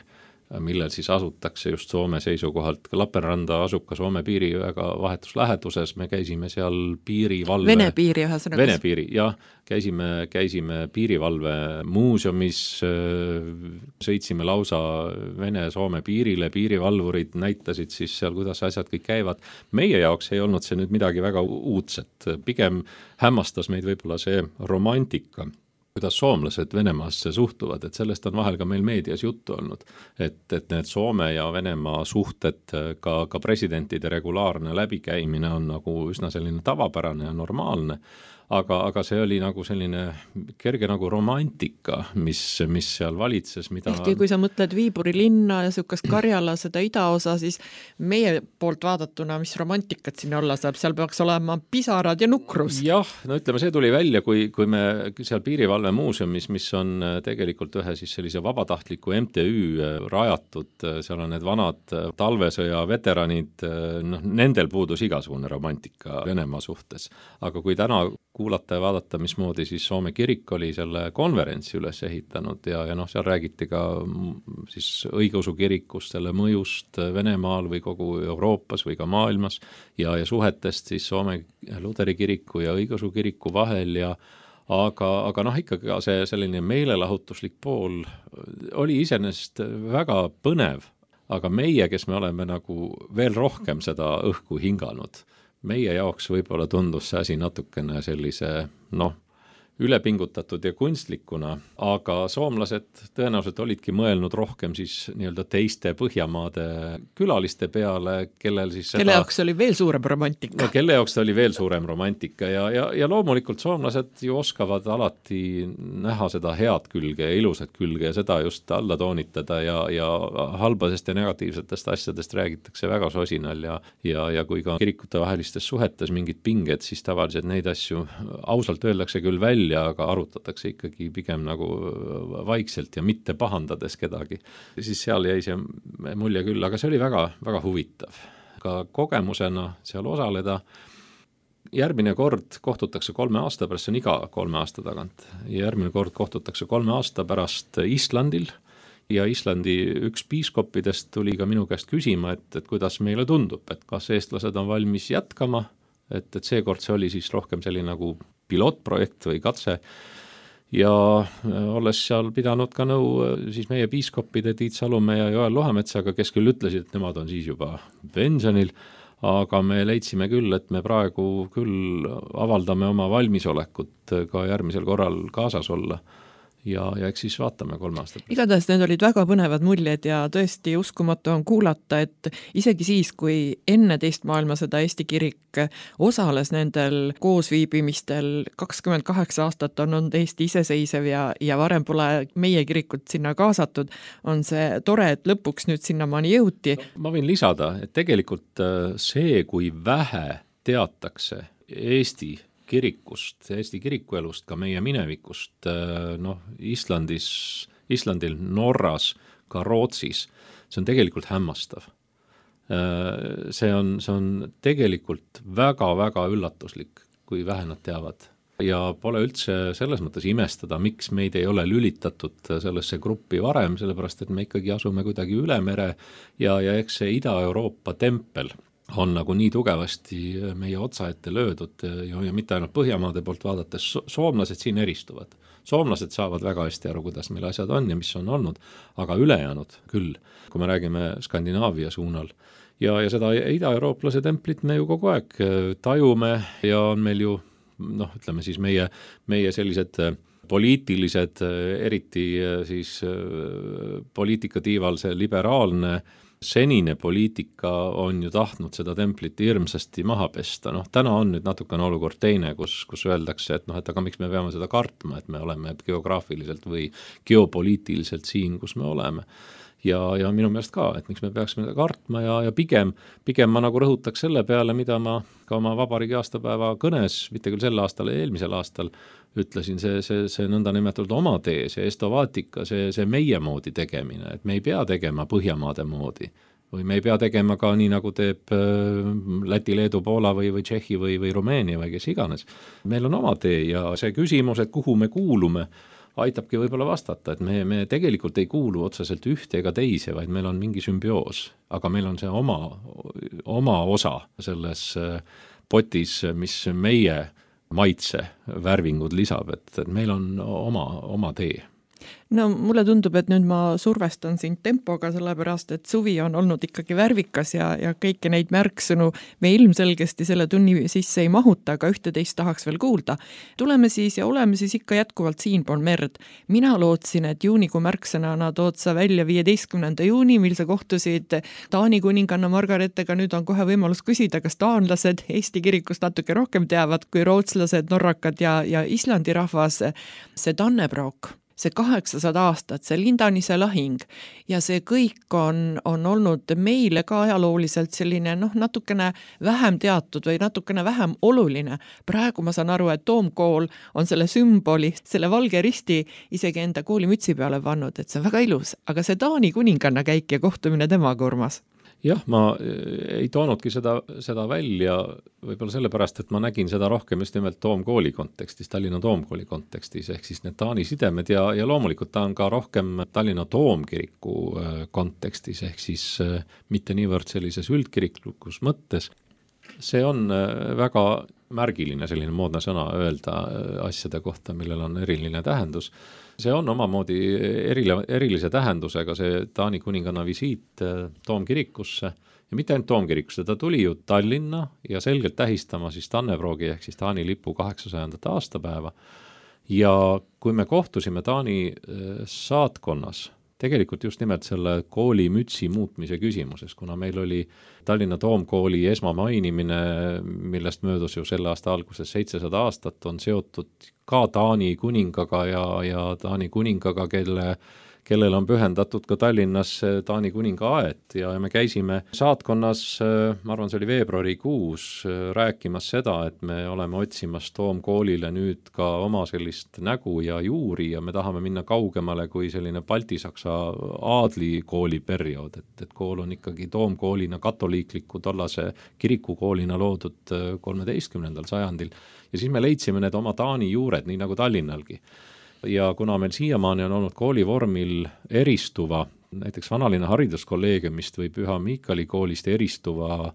[SPEAKER 5] millel siis asutakse just Soome seisukohalt. Lapenranda asub ka Soome piiri väga vahetus läheduses, me käisime seal piirivalve...
[SPEAKER 4] Vene piiri ühesõnaga.
[SPEAKER 5] Vene piiri, jah. Käisime piirivalve muuseumis, sõitsime lausa Vene-Soome piirile, piirivalvurid näitasid siis seal, kuidas asjad kõik käivad. Meie jaoks ei olnud see nüüd midagi väga uudset, pigem hämmastas meid võib-olla see romantika, kuidas soomlased Venemaasse suhtuvad, et sellest on vahel ka meil meedias juttu olnud, et need Soome ja Venemaa suhted, ka presidentide regulaarne läbikäimine on nagu üsna selline tavapärane ja normaalne, aga see oli nagu selline kerge nagu romantika, mis seal valitses, mida...
[SPEAKER 4] Ehkki kui sa mõtled Viiburi linna ja sükast Karjala seda idaosa, siis meie poolt vaadatuna, mis romantikat siin olla saab, seal peaks olema pisarad ja nukrus.
[SPEAKER 5] Jah, no ütleme, see tuli välja, kui me seal piirivalve muuseumis, mis on tegelikult ühe siis sellise vabatahtliku MTÜ rajatud, seal on need vanad talvesõja veteranid, nendel puudus igasugune romantika Venemaa suhtes, aga kui täna kuulata ja vaadata, mismoodi siis Soome kirik oli selle konverentsi üles ehitanud ja seal räägiti ka siis õigeusu kirikust, selle mõjust Venemaal või kogu Euroopas või ka maailmas ja suhetest siis Soome Luteri kiriku ja õigeusu kiriku vahel aga ikkagi ka see selline meelelahutuslik pool oli iseenesest väga põnev, aga meie, kes me oleme nagu veel rohkem seda õhku hinganud, meie jaoks võib-olla tundus see asi natukene sellise, ülepingutatud ja kunstlikuna, aga soomlased tõenäoliselt olidki mõelnud rohkem siis nii-öelda teiste Põhjamaade külaliste peale, kellel siis seda...
[SPEAKER 4] Kelle jaoks oli veel suurem romantika.
[SPEAKER 5] No, kelle jaoks oli veel suurem romantika ja loomulikult soomlased ju oskavad alati näha seda head külge ja ilusat külge ja seda just alla toonitada ja halbadest ja negatiivsetest asjadest räägitakse väga sosinal ja kui ka kirikute vahelistes suhetes mingid pinged, siis tavaliselt neid asju ausalt öeldakse küll välja, välja, aga arutatakse ikkagi pigem nagu vaikselt ja mitte pahandades kedagi. Siis seal jäi see mulje küll, aga see oli väga, väga huvitav. Ka kogemusena seal osaleda. Järgmine kord kohtutakse 3 aasta pärast, see on iga 3 aasta tagant. Järgmine kord kohtutakse 3 aasta pärast Islandil ja Islandi üks piiskoppidest tuli ka minu käest küsima, et kuidas meile tundub, et kas eestlased on valmis jätkama, et seekord see oli siis rohkem selline nagu pilootprojekt või katse ja olles seal pidanud ka nõu siis meie piiskoppide Tiit Salumäe ja Joel Lohametsaga, kes küll ütlesid, et nemad on siis juba pensionil, aga me leidsime küll, et me praegu küll avaldame oma valmisolekut ka järgmisel korral kaasas olla. Ja eks siis vaatame 3 aastat.
[SPEAKER 4] Igatahes need olid väga põnevad muljed ja tõesti uskumatu on kuulata, et isegi siis, kui enne teist maailmasõda Eesti kirik osales nendel koosviibimistel, 28 aastat on olnud Eesti iseseisev ja varem pole meie kirikut sinna kaasatud, on see tore, et lõpuks nüüd sinnamaani jõuti.
[SPEAKER 5] Ma võin lisada, et tegelikult see, kui vähe teatakse Eesti kirikuelust, ka meie minevikust, Islandil, Norras, ka Rootsis, see on tegelikult hämmastav. See on tegelikult väga-väga üllatuslik, kui vähe nad teavad. Ja pole üldse selles mõttes imestada, miks meid ei ole lülitatud sellesse gruppi varem, sellepärast, et me ikkagi asume kuidagi üle mere ja eks see Ida-Euroopa tempel on nagu nii tugevasti meie otsa ette löödud ja mitte ainult Põhjamaade poolt vaadates, soomlased siin eristuvad. Soomlased saavad väga hästi aru, kuidas meil asjad on ja mis on olnud, aga ülejäänud küll, kui me räägime Skandinaavia suunal. Ja seda ida-eurooplase templit me ju kogu aeg tajume ja on meil ju, ütleme siis meie sellised poliitilised, eriti siis poliitikatiival see liberaalne senine poliitika on ju tahtnud seda templit hirmsasti maha pesta. Täna on nüüd natukene olukord teine, kus öeldakse, et aga miks me peame seda kartma, et me oleme geograafiliselt või geopoliitiliselt siin, kus me oleme. Ja minu meelest ka, et miks me peaksime kartma ja pigem ma nagu rõhutaks selle peale, mida ma ka oma vabariigi aastapäeva kõnes, mitte küll sel aastal, eelmisel aastal ütlesin, see nõnda nimetatud oma tee, see estovaatika, see meie moodi tegemine, et me ei pea tegema Põhjamaade moodi või me ei pea tegema ka nii, nagu teeb Läti, Leedu, Poola või Tšehhi või Rumeenia või kes iganes. Meil on oma tee ja see küsimus, et kuhu me kuulume, aitabki võib-olla vastata, et me tegelikult ei kuulu otseselt ühte ega teise, vaid meil on mingi sümbioos, aga meil on see oma osa selles potis, mis meie maitse värvingud lisab, et meil on oma tee.
[SPEAKER 4] No mulle tundub, et nüüd ma survestan sind tempoga, sellepärast, et suvi on olnud ikkagi värvikas ja kõiki neid märksõnu me ilmselgesti selle tunni sisse ei mahuta, aga ühte-teist tahaks veel kuulda. Tuleme siis ja oleme siis ikka jätkuvalt siinpool merd. Mina lootsin, et juunikuu märksõnana tood sa välja 15. juuni, mil sa kohtusid Taani kuninganna Margaretega. Nüüd on kohe võimalus küsida, kas taanlased Eesti kirikust natuke rohkem teavad kui rootslased, norrakad ja Islandi rahvas. See Dannebrog, see 800 aastat, see Lindanise lahing ja see kõik on olnud meile ka ajalooliselt selline natukene vähem teatud või natukene vähem oluline. Praegu ma saan aru, et Toomkool on selle sümboli, selle valge risti isegi enda koolimütsi peale pannud, et see on väga ilus, aga see Taani kuninganna käik ja kohtumine temaga, Urmas?
[SPEAKER 5] Jah, ma ei toonudki seda välja võib-olla sellepärast, et ma nägin seda rohkem just nimelt Toomkooli kontekstis, Tallinna Toomkooli kontekstis, ehk siis need Taani sidemed ja loomulikult ta on ka rohkem Tallinna Toomkiriku kontekstis, ehk siis mitte niivõrd sellises üldkiriklikus mõttes. See on väga märgiline selline moodne sõna öelda asjade kohta, millel on eriline tähendus. See on omamoodi erilise tähendusega see Taani kuninganna visiit Toomkirikusse ja mitte ainult Toomkirikusse, ta tuli ju Tallinna ja selgelt tähistama siis Dannebrogi ehk siis Taani lipu 800. aastapäeva. Ja kui me kohtusime Taani saatkonnas, tegelikult just nimelt selle kooli mütsi muutmise küsimuses, kuna meil oli Tallinna Toomkooli esmamainimine, millest möödus ju selle aasta alguses 700 aastat, on seotud ka Taani kuningaga ja Taani kuningaga, kellele on pühendatud ka Tallinnas Taani kuninga aed ja me käisime saatkonnas, ma arvan, see oli veebruarikuus, rääkimas seda, et me oleme otsimas Toomkoolile nüüd ka oma sellist nägu ja juuri ja me tahame minna kaugemale kui selline baltisaksa aadlikooli periood, et kool on ikkagi Toomkoolina katoliikliku tollase kirikukoolina loodud 13. sajandil ja siis me leidsime need oma Taani juured, nii nagu Tallinnalgi. Ja kuna meil siiamaani on olnud koolivormil eristuva, näiteks Vanalinna hariduskolleegiumist või Püha Miikali koolist eristuva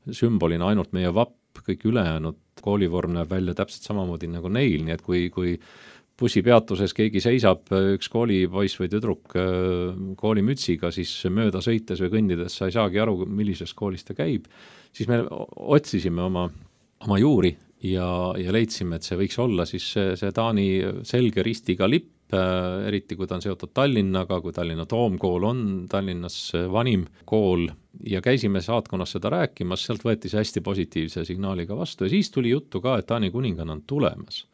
[SPEAKER 5] sümbolina ainult meie vapp, kõik ülejäänud koolivorm näeb välja täpselt samamoodi nagu neil, nii et kui bussipeatuses keegi seisab, üks koolipoiss või tüdruk koolimütsiga, siis mööda sõites või kõndides sa ei saagi aru, millises koolis ta käib, siis me otsisime oma juuri ja leidsime, et see võiks olla siis see Taani selge ristiga lipp, eriti kui ta on seotud Tallinnaga, kui Tallinna Toomkool on Tallinnas vanim kool ja käisime saatkonnas seda rääkimas, sealt võeti see hästi positiivse signaaliga vastu ja siis tuli juttu ka, et Taani kuninganna on tulemas.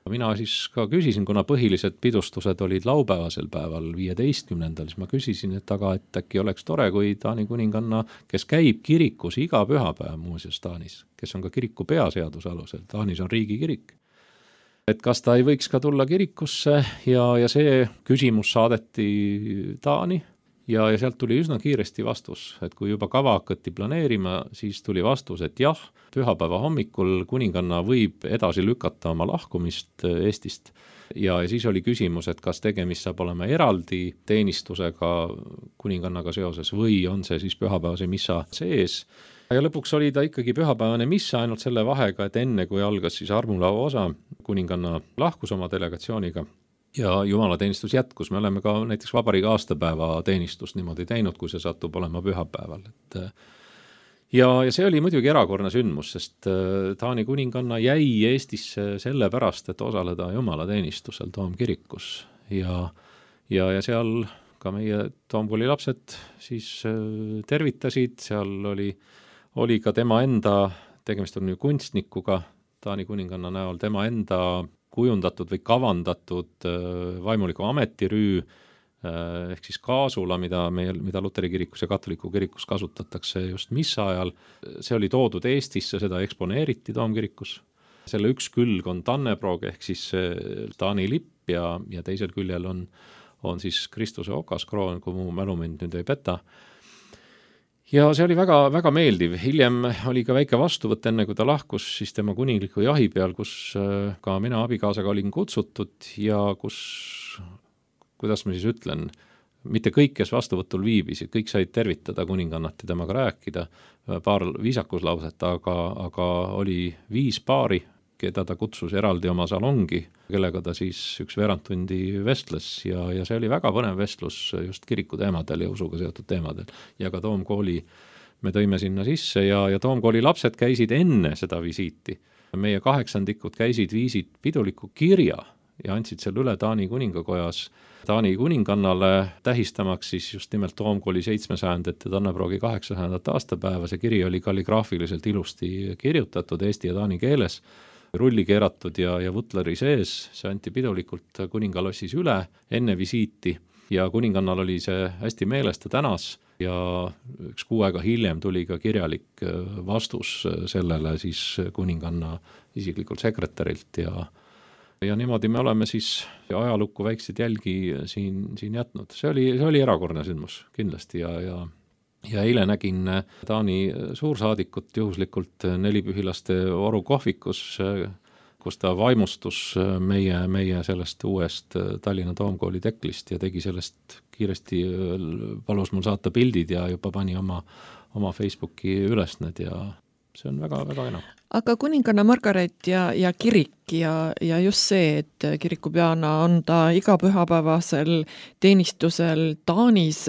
[SPEAKER 5] Mina siis ka küsisin, kuna põhilised pidustused olid laupäevasel päeval 15. siis ma küsisin, et äkki oleks tore, kui Taani kuninganna, kes käib kirikus iga pühapäev muuseas Taanis, kes on ka kiriku peaseaduse alusel, Taanis on riigikirik, et kas ta ei võiks ka tulla kirikusse ja see küsimus saadeti Taani ja sealt tuli üsna kiiresti vastus, et kui juba kava hakati planeerima, siis tuli vastus, et jah, pühapäeva hommikul kuninganna võib edasi lükata oma lahkumist Eestist ja siis oli küsimus, et kas tegemist saab olema eraldi teenistusega kuningannaga seoses või on see siis pühapäevase missa sees. Ja lõpuks oli ta ikkagi pühapäevane missa ainult selle vahega, et enne kui algas siis armulao osa, kuninganna lahkus oma delegatsiooniga ja jumalateenistus jätkus. Me oleme ka näiteks vabariigi aastapäeva teenistust niimoodi teinud, kui see satub olema pühapäeval. Ja see oli muidugi erakordne sündmus, sest Taani kuninganna jäi Eestisse selle pärast, et osaleda jumalateenistusel Toomkirikus ja seal ka meie Toomkooli lapsed siis tervitasid, seal oli ka tema enda, tegemist on kunstnikuga Taani kuninganna näol, tema enda kujundatud või kavandatud vaimuliku ametirüü ehk siis kaasula, mida Luteri kirikus ja katoliku kirikus kasutatakse just missa ajal. See oli toodud Eestisse, seda eksponeeriti Toomkirikus. Selle üks külg on Tannebrog ehk siis Taani lipp ja teisel küljel on siis Kristuse okaskroon, kui mu mälumind nüüd ei peta. Ja see oli väga, väga meeldiv. Hiljem oli ka väike vastuvõtt enne, kui ta lahkus siis tema kuningliku jahi peal, kus ka mina abikaasaga olin kutsutud ja kus, kuidas ma siis ütlen, mitte kõik, kes vastuvõtul viibisid, kõik said tervitada kuningannat ja temaga rääkida, paar viisakuslauset, aga oli 5 paari, keda ta kutsus eraldi oma salongi, kellega ta siis üks veerandtundi vestles ja see oli väga põnev vestlus just kiriku teemadel ja usuga seotud teemadel. Ja ka Toomkooli me tõime sinna sisse ja Toomkooli lapsed käisid enne seda visiiti. Meie 8-ndikud viisid piduliku kirja ja andsid selle üle Taani kuningakojas Taani kuningannale tähistamaks siis just nimelt Toomkooli 700. ja Tannebrogi 800. aastapäeva. See kiri oli kalligraafiliselt ilusti kirjutatud eesti ja taani keeles, rulli keeratud ja vutleri sees, see anti pidulikult kuningalossis üle enne visiiti ja kuningannal oli see hästi meeles, ta tänas ja üks kuu aega hiljem tuli ka kirjalik vastus sellele siis kuninganna isiklikult sekretärilt ja niimoodi me oleme siis ajalukku väikseid jälgi siin jätnud. See oli erakordne sündmus kindlasti ja eile nägin Taani suursaadikut juhuslikult Nelipühilaste Oru kohvikus, kus ta vaimustus meie sellest uuest Tallinna Toomkooli teklist ja tegi sellest kiiresti, palus mul saata pildid ja juba pani oma Facebooki üles need ja see on väga, väga enam.
[SPEAKER 4] Aga kuninganna Margaret ja kirik ja just see, et kirikupeana on ta iga pühapäevasel teenistusel Taanis,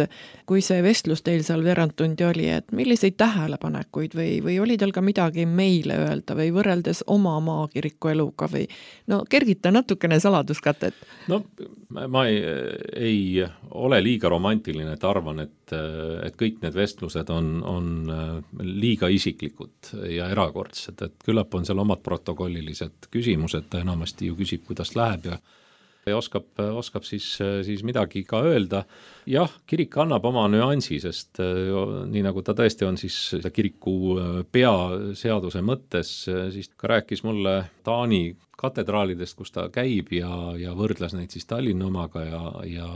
[SPEAKER 4] kui see vestlus teil seal veerandtundi oli, et milliseid tähelepanekuid või oli teil ka midagi meile öelda või võrreldes oma maakiriku eluga või kergita natukene saladuskatet?
[SPEAKER 5] No ma ei ole liiga romantiline, et arvan, et kõik need vestlused on liiga isiklikud ja erakordsed, et küllap on seal omad protokollilised küsimused, ta enamasti ju küsib, kuidas läheb ja oskab siis midagi ka öelda. Jah, kirik annab oma nüansi, sest nii nagu ta tõesti on siis kiriku peaseaduse mõttes, siis ka rääkis mulle Taani katedraalidest, kus ta käib ja võrdles neid siis Tallinna omaga ja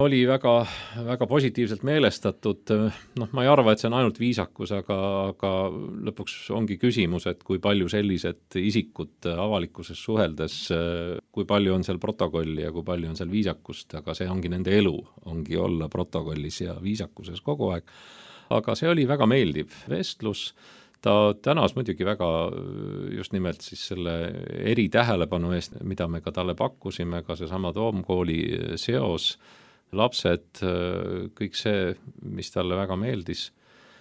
[SPEAKER 5] oli väga, väga positiivselt meelestatud. Ma ei arva, et see on ainult viisakus, aga lõpuks ongi küsimus, et kui palju sellised isikud avalikkuses suheldes, kui palju on seal protokolli ja kui palju on seal viisakust, aga see ongi nende elu, ongi olla protokollis ja viisakuses kogu aeg. Aga see oli väga meeldiv vestlus. Ta tänas muidugi väga just nimelt siis selle eritähelepanu eest, mida me ka talle pakkusime, ka seesama Toomkooli seos, lapsed, kõik see, mis talle väga meeldis.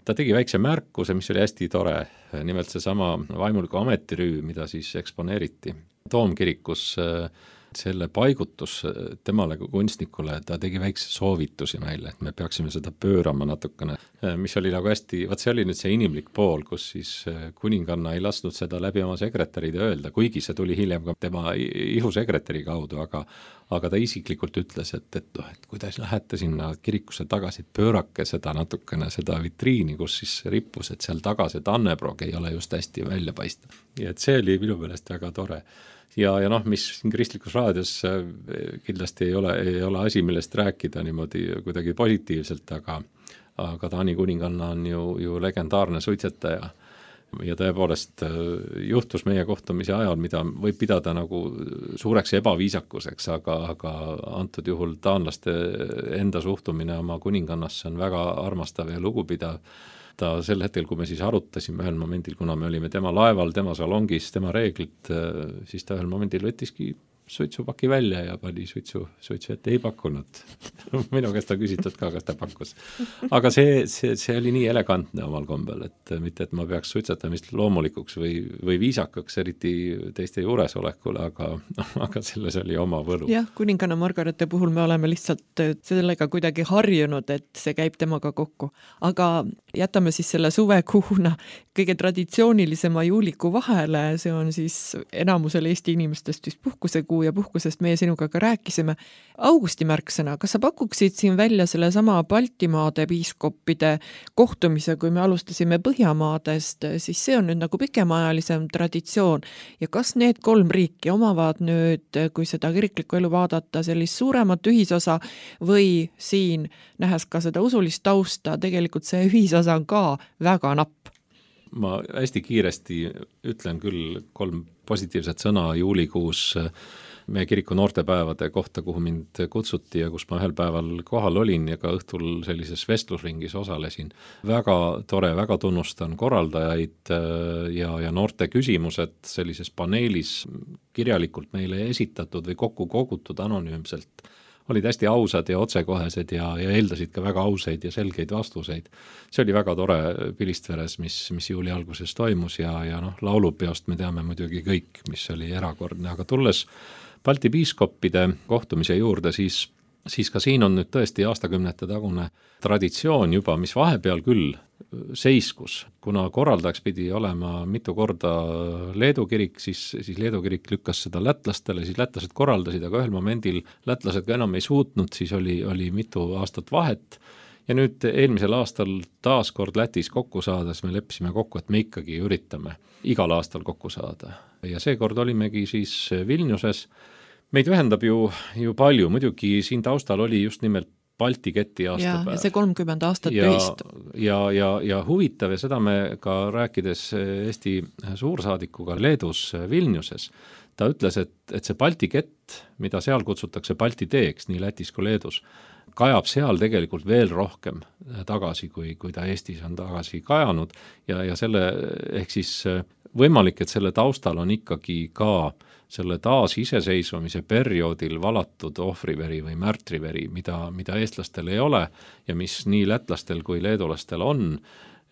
[SPEAKER 5] Ta tegi väikse märkuse, mis oli hästi tore, nimelt seesama vaimuliku ametirüü, mida siis eksponeeriti Toomkirikus, selle paigutus temale kui kunstnikule, ta tegi väikse soovitusi meile, et me peaksime seda pöörama natukene, mis oli nagu hästi, see oli nüüd see inimlik pool, kus siis kuninganna ei lasknud seda läbi oma sekretäride öelda, kuigi see tuli hiljem ka tema ihusekretäri kaudu, aga ta isiklikult ütles, et kui te lähete sinna kirikusse tagasi, pöörake seda natukene, seda vitriini, kus siis rippus, et seal taga see tanneprog ei ole just hästi välja paista. Ja et see oli minu meelest väga tore. Ja mis siin kristlikus raadios kindlasti ei ole asi, millest rääkida niimoodi kuidagi positiivselt, aga Taani kuninganna on ju legendaarne suitsetaja. Ja tõepoolest juhtus meie kohtumise ajal, mida võib pidada nagu suureks ebaviisakuseks, aga antud juhul taanlaste enda suhtumine oma kuningannasse on väga armastav ja lugupidav. Ta sel hetkel, kui me siis arutasime ühel momendil, kuna me olime tema laeval, tema salongis, tema reeglid, siis ta ühel momendil võttiski suitsupaki välja ja pani suitsu ette ei pakkunud. Minu käest ta küsitud ka, kas ta pakkus. Aga see oli nii elegantne omal kombel, et mitte, et ma peaks suitsetamist loomulikuks või viisakaks, eriti teiste juuresolekule, aga selles oli oma võlu.
[SPEAKER 4] Jah, kuninganna Margarete puhul me oleme lihtsalt sellega kuidagi harjunud, et see käib temaga kokku. Aga jätame siis selle suvekuuna kõige traditsioonilisema juuliku vahele, see on siis enamusel Eesti inimestest vist puhkusekuu ja puhkusest meie sinuga ka rääkisime. Augusti märksõna, kas sa pakuksid siin välja selle sama Baltimaade piiskoppide kohtumise, kui me alustasime Põhjamaadest, siis see on nüüd nagu pikemaajalisem traditsioon. Ja kas need 3 riiki omavad nüüd, kui seda kiriklikku elu vaadata, sellist suuremat ühisosa või siin, nähes ka seda usulist tausta, tegelikult see ühisosa on ka väga napp?
[SPEAKER 5] Ma hästi kiiresti ütlen küll 3 positiivset sõna juulikuus meie kiriku noortepäevade kohta, kuhu mind kutsuti ja kus ma ühel päeval kohal olin ja ka õhtul sellises vestlusringis osalesin. Väga tore, väga tunnustan korraldajaid ja noorte küsimused sellises paneelis kirjalikult meile esitatud või kokku kogutud anonüümselt olid hästi ausad ja otsekohesed ja eeldasid ka väga ausaid ja selgeid vastuseid. See oli väga tore Pilistveres, mis juuli alguses toimus ja laulupeost me teame muidugi kõik, mis oli erakordne, aga tulles Balti piiskoppide kohtumise juurde, siis ka siin on nüüd tõesti aastakümnete tagune traditsioon juba, mis vahepeal küll seiskus, kuna korraldajaks pidi olema mitu korda Leedu kirik, siis Leedu kirik lükkas seda lätlastele, siis lätlased korraldasid, aga ühel momendil lätlased ka enam ei suutnud, siis oli mitu aastat vahet. Ja nüüd eelmisel aastal taas kord Lätis kokku saades me leppisime kokku, et me ikkagi üritame igal aastal kokku saada. Ja seekord olimegi siis Vilniuses. Meid ühendab ju palju, muidugi siin taustal oli just nimelt Balti keti aastapäev.
[SPEAKER 4] Ja see 30 aastat ühist.
[SPEAKER 5] Ja huvitav ja seda me ka rääkides Eesti suursaadikuga Leedus Vilniuses, ta ütles, et see Balti kett, mida seal kutsutakse Balti teeks, nii Lätis kui Leedus, kajab seal tegelikult veel rohkem tagasi, kui ta Eestis on tagasi kajanud ja selle ehk siis võimalik, et selle taustal on ikkagi ka selle taasiseseisvumise perioodil valatud ohvriveri või märtriveri, mida eestlastel ei ole ja mis nii lätlastel kui leedulastel on,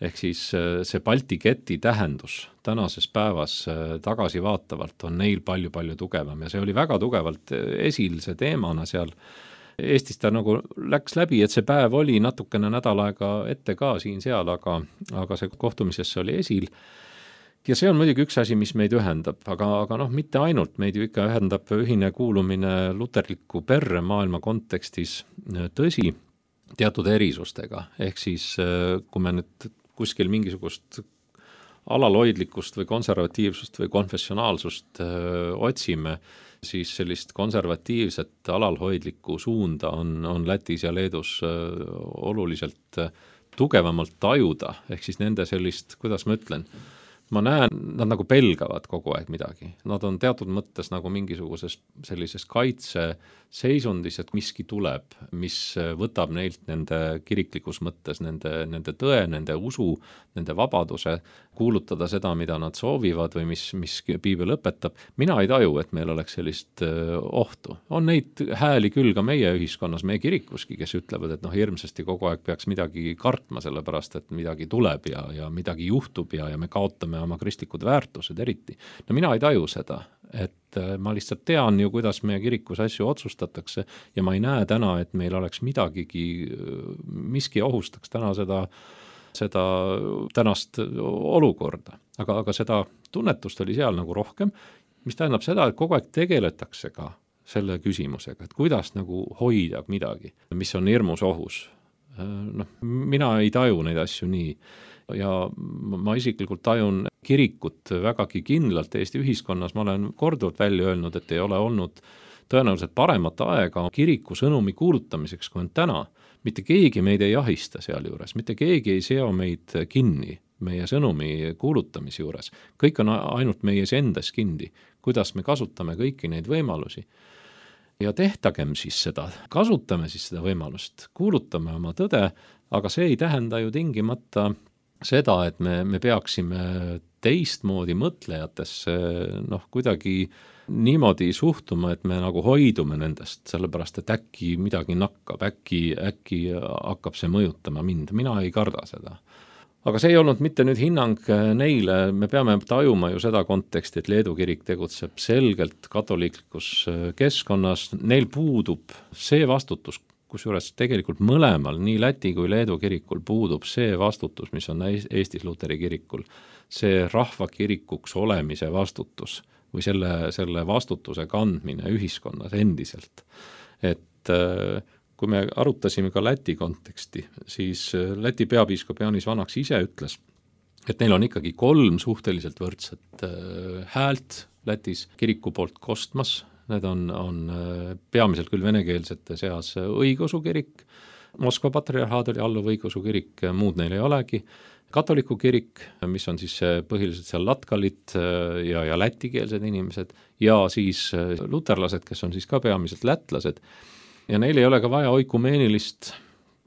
[SPEAKER 5] ehk siis see Balti keti tähendus tänases päevas tagasivaatavalt on neil palju tugevam ja see oli väga tugevalt esil see teemana seal. Eestis ta nagu läks läbi, et see päev oli natukene nädal aega ette ka siin-seal, aga see kohtumisesse oli esil. ja see on muidugi üks asi, mis meid ühendab, aga noh, mitte ainult, meid ju ikka ühendab ühine kuulumine luterliku perre maailma kontekstis, tõsi, teatud erisustega, ehk siis kui me nüüd kuskil mingisugust alalhoidlikkust või konservatiivsust või konfessionaalsust otsime, siis sellist konservatiivset alalhoidlikku suunda on Lätis ja Leedus oluliselt tugevamalt tajuda, ehk siis nende sellist, kuidas ma ütlen, ma näen, nad nagu pelgavad kogu aeg midagi. Nad on teatud mõttes nagu mingisuguses sellises kaitseseisundis, et miski tuleb, mis võtab neilt nende kiriklikus mõttes, nende tõe, nende usu, nende vabaduse kuulutada seda, mida nad soovivad või mis piibel õpetab. Mina ei taju, et meil oleks sellist ohtu. On neid hääli küll ka meie ühiskonnas, meie kirikuski, kes ütlevad, et hirmsasti kogu aeg peaks midagi kartma, sellepärast et midagi tuleb ja midagi juhtub ja me kaotame oma kristlikud väärtused eriti. No mina ei taju seda, et ma lihtsalt tean ju, kuidas meie kirikus asju otsustatakse ja ma ei näe täna, et meil oleks midagigi, miski ohustaks täna seda tänast olukorda. Aga seda tunnetust oli seal nagu rohkem, mis tähendab seda, et kogu aeg tegeletakse ka selle küsimusega, et kuidas nagu hoida midagi, mis on hirmus ohus. Mina ei taju neid asju nii. Ja ma isiklikult tajun kirikut vägagi kindlalt Eesti ühiskonnas. Ma olen korduvalt välja öelnud, et ei ole olnud tõenäoliselt paremat aega kiriku sõnumi kuulutamiseks, kui on täna. Mitte keegi meid ei jahista seal juures, mitte keegi ei seo meid kinni meie sõnumi kuulutamise juures. Kõik on ainult meies endas kinni, kuidas me kasutame kõiki neid võimalusi. Ja tehtagem siis seda, kasutame siis seda võimalust, kuulutame oma tõde, aga see ei tähenda ju tingimata seda, et me peaksime teistmoodi mõtlejatesse kuidagi niimoodi suhtuma, et me nagu hoidume nendest, sellepärast et äkki midagi nakkab, äkki hakkab see mõjutama mind, mina ei karda seda. Aga see ei olnud mitte nüüd hinnang neile, me peame tajuma ju seda konteksti, et Leedu kirik tegutseb selgelt katoliiklikus keskkonnas, neil puudub see vastutus, kusjuures tegelikult mõlemal, nii Läti kui Leedu kirikul puudub see vastutus, mis on Eestis Luteri kirikul, see rahvakirikuks olemise vastutus või selle vastutuse kandmine ühiskonnas endiselt. Et kui me arutasime ka Läti konteksti, siis Läti peapiiskop Jaanis Vanaks ise ütles, et neil on ikkagi 3 suhteliselt võrdset häält Lätis kiriku poolt kostmas. Need on peamiselt küll venekeelsete seas õigeusu kirik, Moskva patriarhaat oli alluv õigeusu kirik, muud neil ei olegi, katoliku kirik, mis on siis põhiliselt seal latkalit ja lätikeelsed inimesed, ja siis luterlased, kes on siis ka peamiselt lätlased, ja neil ei ole ka vaja oikumeenilist,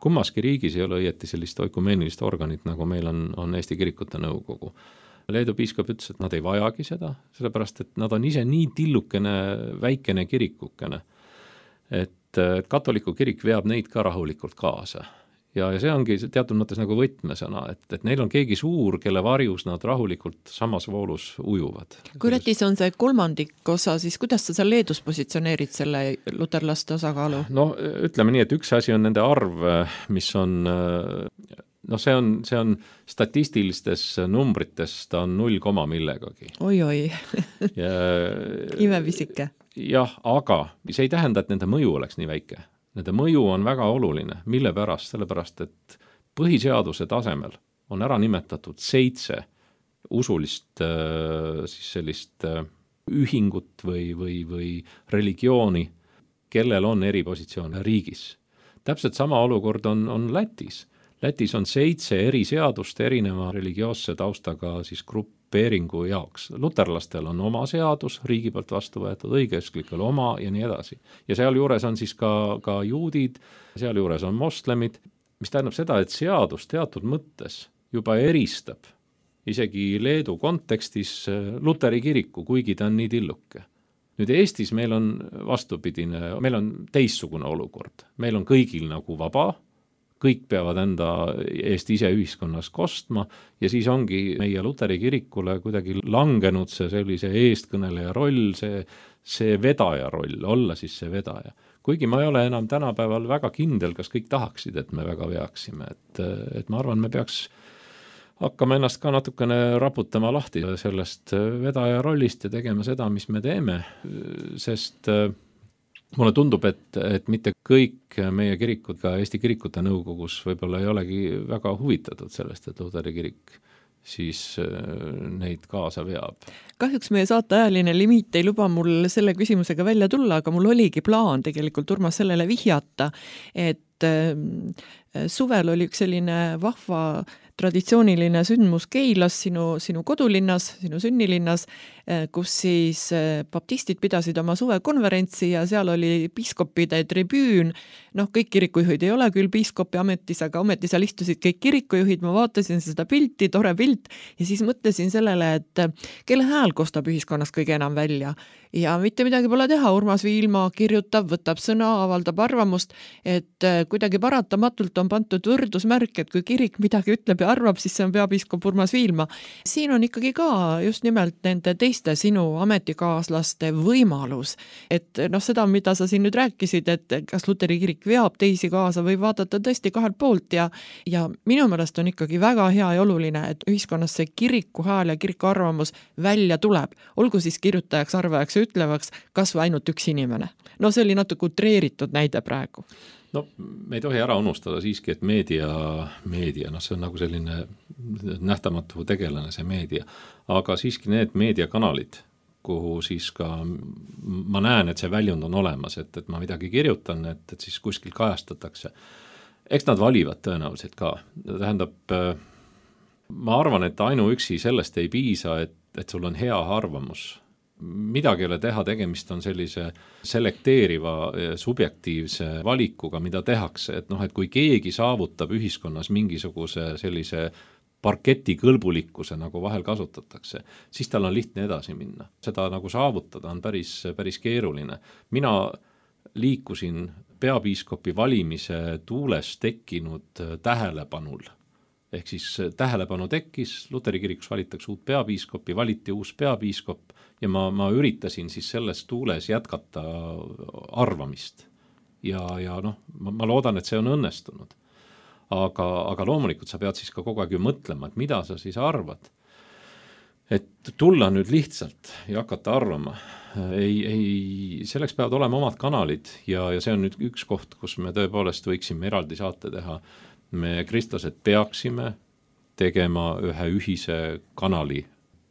[SPEAKER 5] kummaski riigis ei ole õieti sellist oikumeenilist organit, nagu meil on Eesti Kirikute Nõukogu. Leedu piiskop ütles, et nad ei vajagi seda, sellepärast et nad on ise nii tillukene, väikene kirikukene, et katoliku kirik veab neid ka rahulikult kaasa. Ja see ongi teatud mõttes nagu võtmesõna, et neil on keegi suur, kelle varjus nad rahulikult samas voolus ujuvad.
[SPEAKER 4] Kui Lätis on see 3. osa, siis kuidas sa seal Leedus positsioneerid selle luterlaste osakaalu?
[SPEAKER 5] No ütleme nii, et üks asi on nende arv, mis on see on statistilistes numbrites, ta on 0, millegagi.
[SPEAKER 4] Oi. Imevisike.
[SPEAKER 5] Jah, aga see ei tähenda, et nende mõju oleks nii väike. Nende mõju on väga oluline. Mille pärast? Sellepärast, et põhiseaduse tasemel on ära nimetatud 7 usulist siis sellist ühingut või religiooni, kellel on eripositsioon riigis. Täpselt sama olukord on Lätis. Lätis on 7 eri seadust erineva religioosse taustaga siis grupeeringu jaoks. Luterlastel on oma seadus, riigi poolt vastu võetud, õigeusklikel oma ja nii edasi. Ja seal juures on siis ka juudid, seal juures on moslemid, mis tähendab seda, et seadus teatud mõttes juba eristab isegi Leedu kontekstis Luteri kiriku, kuigi ta on nii tilluke. Nüüd Eestis meil on vastupidine, meil on teistsugune olukord. Meil on kõigil nagu vaba, kõik peavad enda eest ise ühiskonnas kostma ja siis ongi meie Luteri kirikule kuidagi langenud see sellise eestkõneleja roll, see vedaja roll, olla siis see vedaja. Kuigi ma ei ole enam tänapäeval väga kindel, kas kõik tahaksid, et me väga veaksime. Et ma arvan, me peaks hakkame ennast ka natukene raputama lahti sellest vedaja rollist ja tegema seda, mis me teeme, sest mulle tundub, et mitte kõik meie kirikud ka Eesti Kirikute Nõukogus võib-olla ei olegi väga huvitatud sellest, et Luteri kirik siis neid kaasa veab.
[SPEAKER 4] Kahjuks meie saateajaline limiit ei luba mul selle küsimusega välja tulla, aga mul oligi plaan tegelikult Urmas sellele vihjata, et suvel oli üks selline vahva traditsiooniline sündmus Keilas, sinu kodulinnas, sinu sünnilinnas, kus siis baptistid pidasid oma suvekonverentsi ja seal oli piiskopide tribüün. Kõik kirikujuhid ei ole küll piiskopi ametis, aga ometi seal istusid kõik kirikujuhid, ma vaatasin seda pilti, tore pilt ja siis mõtlesin sellele, et kelle hääl kostab ühiskonnas kõige enam välja. Ja mitte midagi pole teha, Urmas Viilma kirjutab, võtab sõna, avaldab arvamust, et kuidagi paratamatult on pandud võrdusmärk, et kui kirik midagi ütleb ja arvab, siis see on peapiiskop Urmas Viilma. Siin on ikkagi ka just nimelt nende teiste sinu ametikaaslaste võimalus, et seda, mida sa siin nüüd rääkisid, et kas Luteri kirik veab teisi kaasa või vaadata tõesti kahelt poolt ja minu meelest on ikkagi väga hea ja oluline, et ühiskonnas see kiriku hääl ja kiriku arvamus välja tuleb, olgu siis kirjutajaks, arvajaks ütlevaks kas või ainult üks inimene. See oli natuke utreeritud näide praegu.
[SPEAKER 5] Me ei tohi ära unustada siiski, et meedia, see on nagu selline nähtamatu tegelane, see meedia, aga siiski need meediakanalid, kuhu siis ka ma näen, et see väljund on olemas, et ma midagi kirjutan, et siis kuskil kajastatakse. Eks nad valivad tõenäoliselt ka. Tähendab, ma arvan, et ainuüksi sellest ei piisa, et sul on hea arvamus. Midagi ei ole teha, tegemist on sellise selekteeriva subjektiivse valikuga, mida tehakse, et kui keegi saavutab ühiskonnas mingisuguse sellise parketi kõlbulikkuse, nagu vahel kasutatakse, siis tal on lihtne edasi minna. Seda nagu saavutada on päris keeruline. Mina liikusin peapiiskopi valimise tuules tekkinud tähelepanul. Ehk siis tähelepanu tekkis, Luteri kirikus valitakse uut peapiiskopi, valiti uus peapiiskop ja ma üritasin siis selles tuules jätkata arvamist. Ja ma loodan, et see on õnnestunud. Aga loomulikult sa pead siis ka kogu aeg ju mõtlema, et mida sa siis arvad. Et tulla nüüd lihtsalt ja hakata arvama. Selleks peavad olema omad kanalid ja see on nüüd üks koht, kus me tõepoolest võiksime eraldi saate teha. Me kristlased peaksime tegema ühe ühise kanali.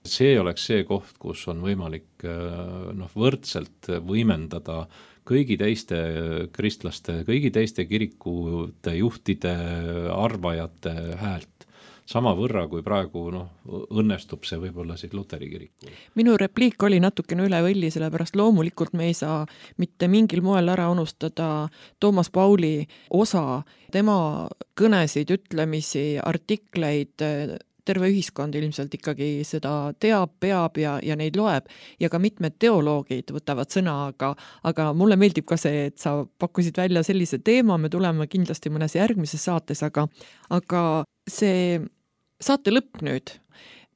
[SPEAKER 5] See oleks see koht, kus on võimalik võrdselt võimendada kõigi teiste kristlaste, kõigi teiste kirikute juhtide, arvajate häält. Sama võrra, kui praegu õnnestub see võib-olla siis Luteri kirikul.
[SPEAKER 4] Minu repliik oli natukene üle võlli, sellepärast loomulikult me ei saa mitte mingil moel ära unustada Toomas Pauli osa, tema kõnesid, ütlemisi, artikleid, terve ühiskond ilmselt ikkagi seda teab, peab ja neid loeb ja ka mitmed teoloogid võtavad sõna, aga mulle meeldib ka see, et sa pakkusid välja sellise teema, me tuleme kindlasti mõnes järgmises saates, aga see saate lõpp nüüd.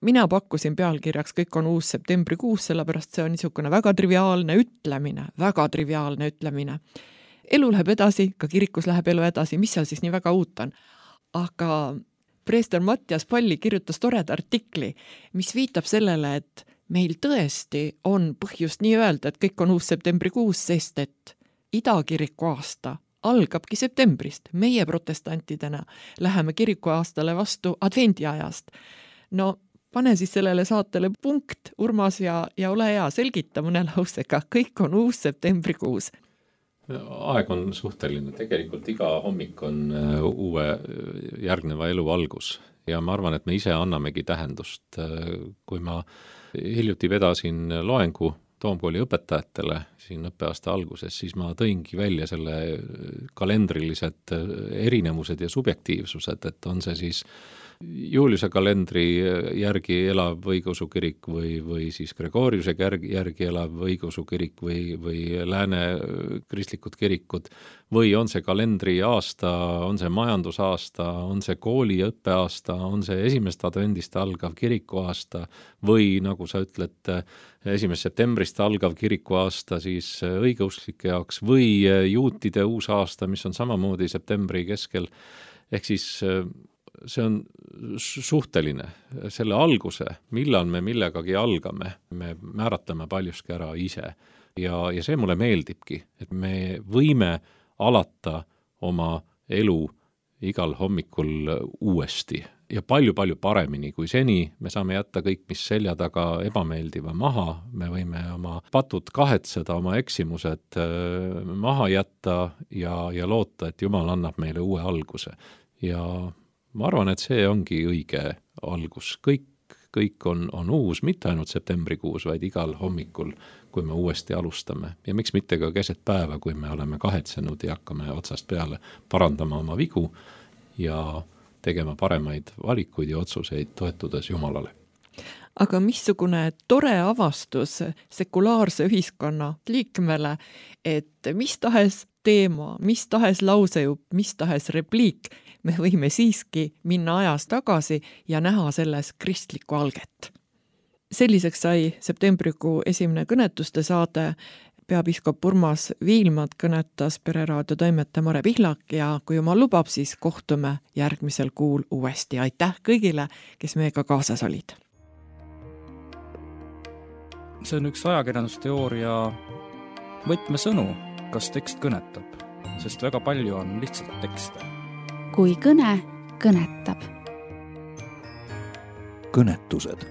[SPEAKER 4] Mina pakkusin pealkirjaks Kõik on uus septembrikuus, sellepärast see on niisugune väga triviaalne ütlemine. Elu läheb edasi, ka kirikus läheb elu edasi, mis seal siis nii väga uut on. Aga preester Mattias Palli kirjutas toreda artikli, mis viitab sellele, et meil tõesti on põhjust nii öelda, et kõik on uus septembrikuus, sest et idakiriku aasta algabki septembrist. Meie protestantidena läheme kirikuaastale vastu advendiajast. Pane siis sellele saatele punkt, Urmas, ja ole hea, selgita mõne lausega. Kõik on uus septembrikuus.
[SPEAKER 5] Aeg on suhteline. Tegelikult iga hommik on uue järgneva elu algus. Ja ma arvan, et me ise annamegi tähendust. Kui ma hiljuti vedasin loengu Toomkooli õpetajatele siin õppeaasta alguses, siis ma tõingi välja selle kalendrilised erinevused ja subjektiivsused, et on see siis Juliuse kalendri järgi elav õigeusu kirik või siis Gregoriuse järgi elav õigeusu kirik või lääne kristlikud kirikud või on see kalendri aasta, on see majandusaasta, on see kooli õppeaasta, on see esimest advendist algav kirikuaasta või nagu sa ütled, 1. septembrist algav kirikuaasta siis õigeusklike jaoks või juutide uus aasta, mis on samamoodi septembri keskel, ehk siis on suhteline. Selle alguse, millal me millegagi algame, me määratleme paljuski ära ise. Ja see mulle meeldibki, et me võime alata oma elu igal hommikul uuesti ja palju-palju paremini kui seni. Me saame jätta kõik, mis selja taga ebameeldiva maha, me võime oma patud kahetseda, oma eksimused maha jätta ja loota, et Jumal annab meile uue alguse. Ja ma arvan, et see ongi õige algus. Kõik on uus, mitte ainult septembrikuus, vaid igal hommikul, kui me uuesti alustame. Ja miks mitte ka keset päeva, kui me oleme kahetsenud ja hakkame otsast peale parandama oma vigu ja tegema paremaid valikuid ja otsuseid toetudes Jumalale.
[SPEAKER 4] Aga missugune tore avastus sekulaarse ühiskonna liikmele, et mis tahes teema, mis tahes lausejupp, mis tahes repliik, me võime siiski minna ajas tagasi ja näha selles kristlikku alget. Selliseks sai septembrikuu esimene kõnetuste saade. Peapiiskop Urmas Viilmad kõnetas Pereraadio toimetaja Mare Pihlak ja kui Jumal lubab, siis kohtume järgmisel kuul uuesti. Aitäh kõigile, kes meiega kaasas olid.
[SPEAKER 2] See on üks ajakirjandusteooria võtmesõnu, kas tekst kõnetab, sest väga palju on lihtsalt tekste.
[SPEAKER 3] Kui kõne kõnetab.
[SPEAKER 1] Kõnetused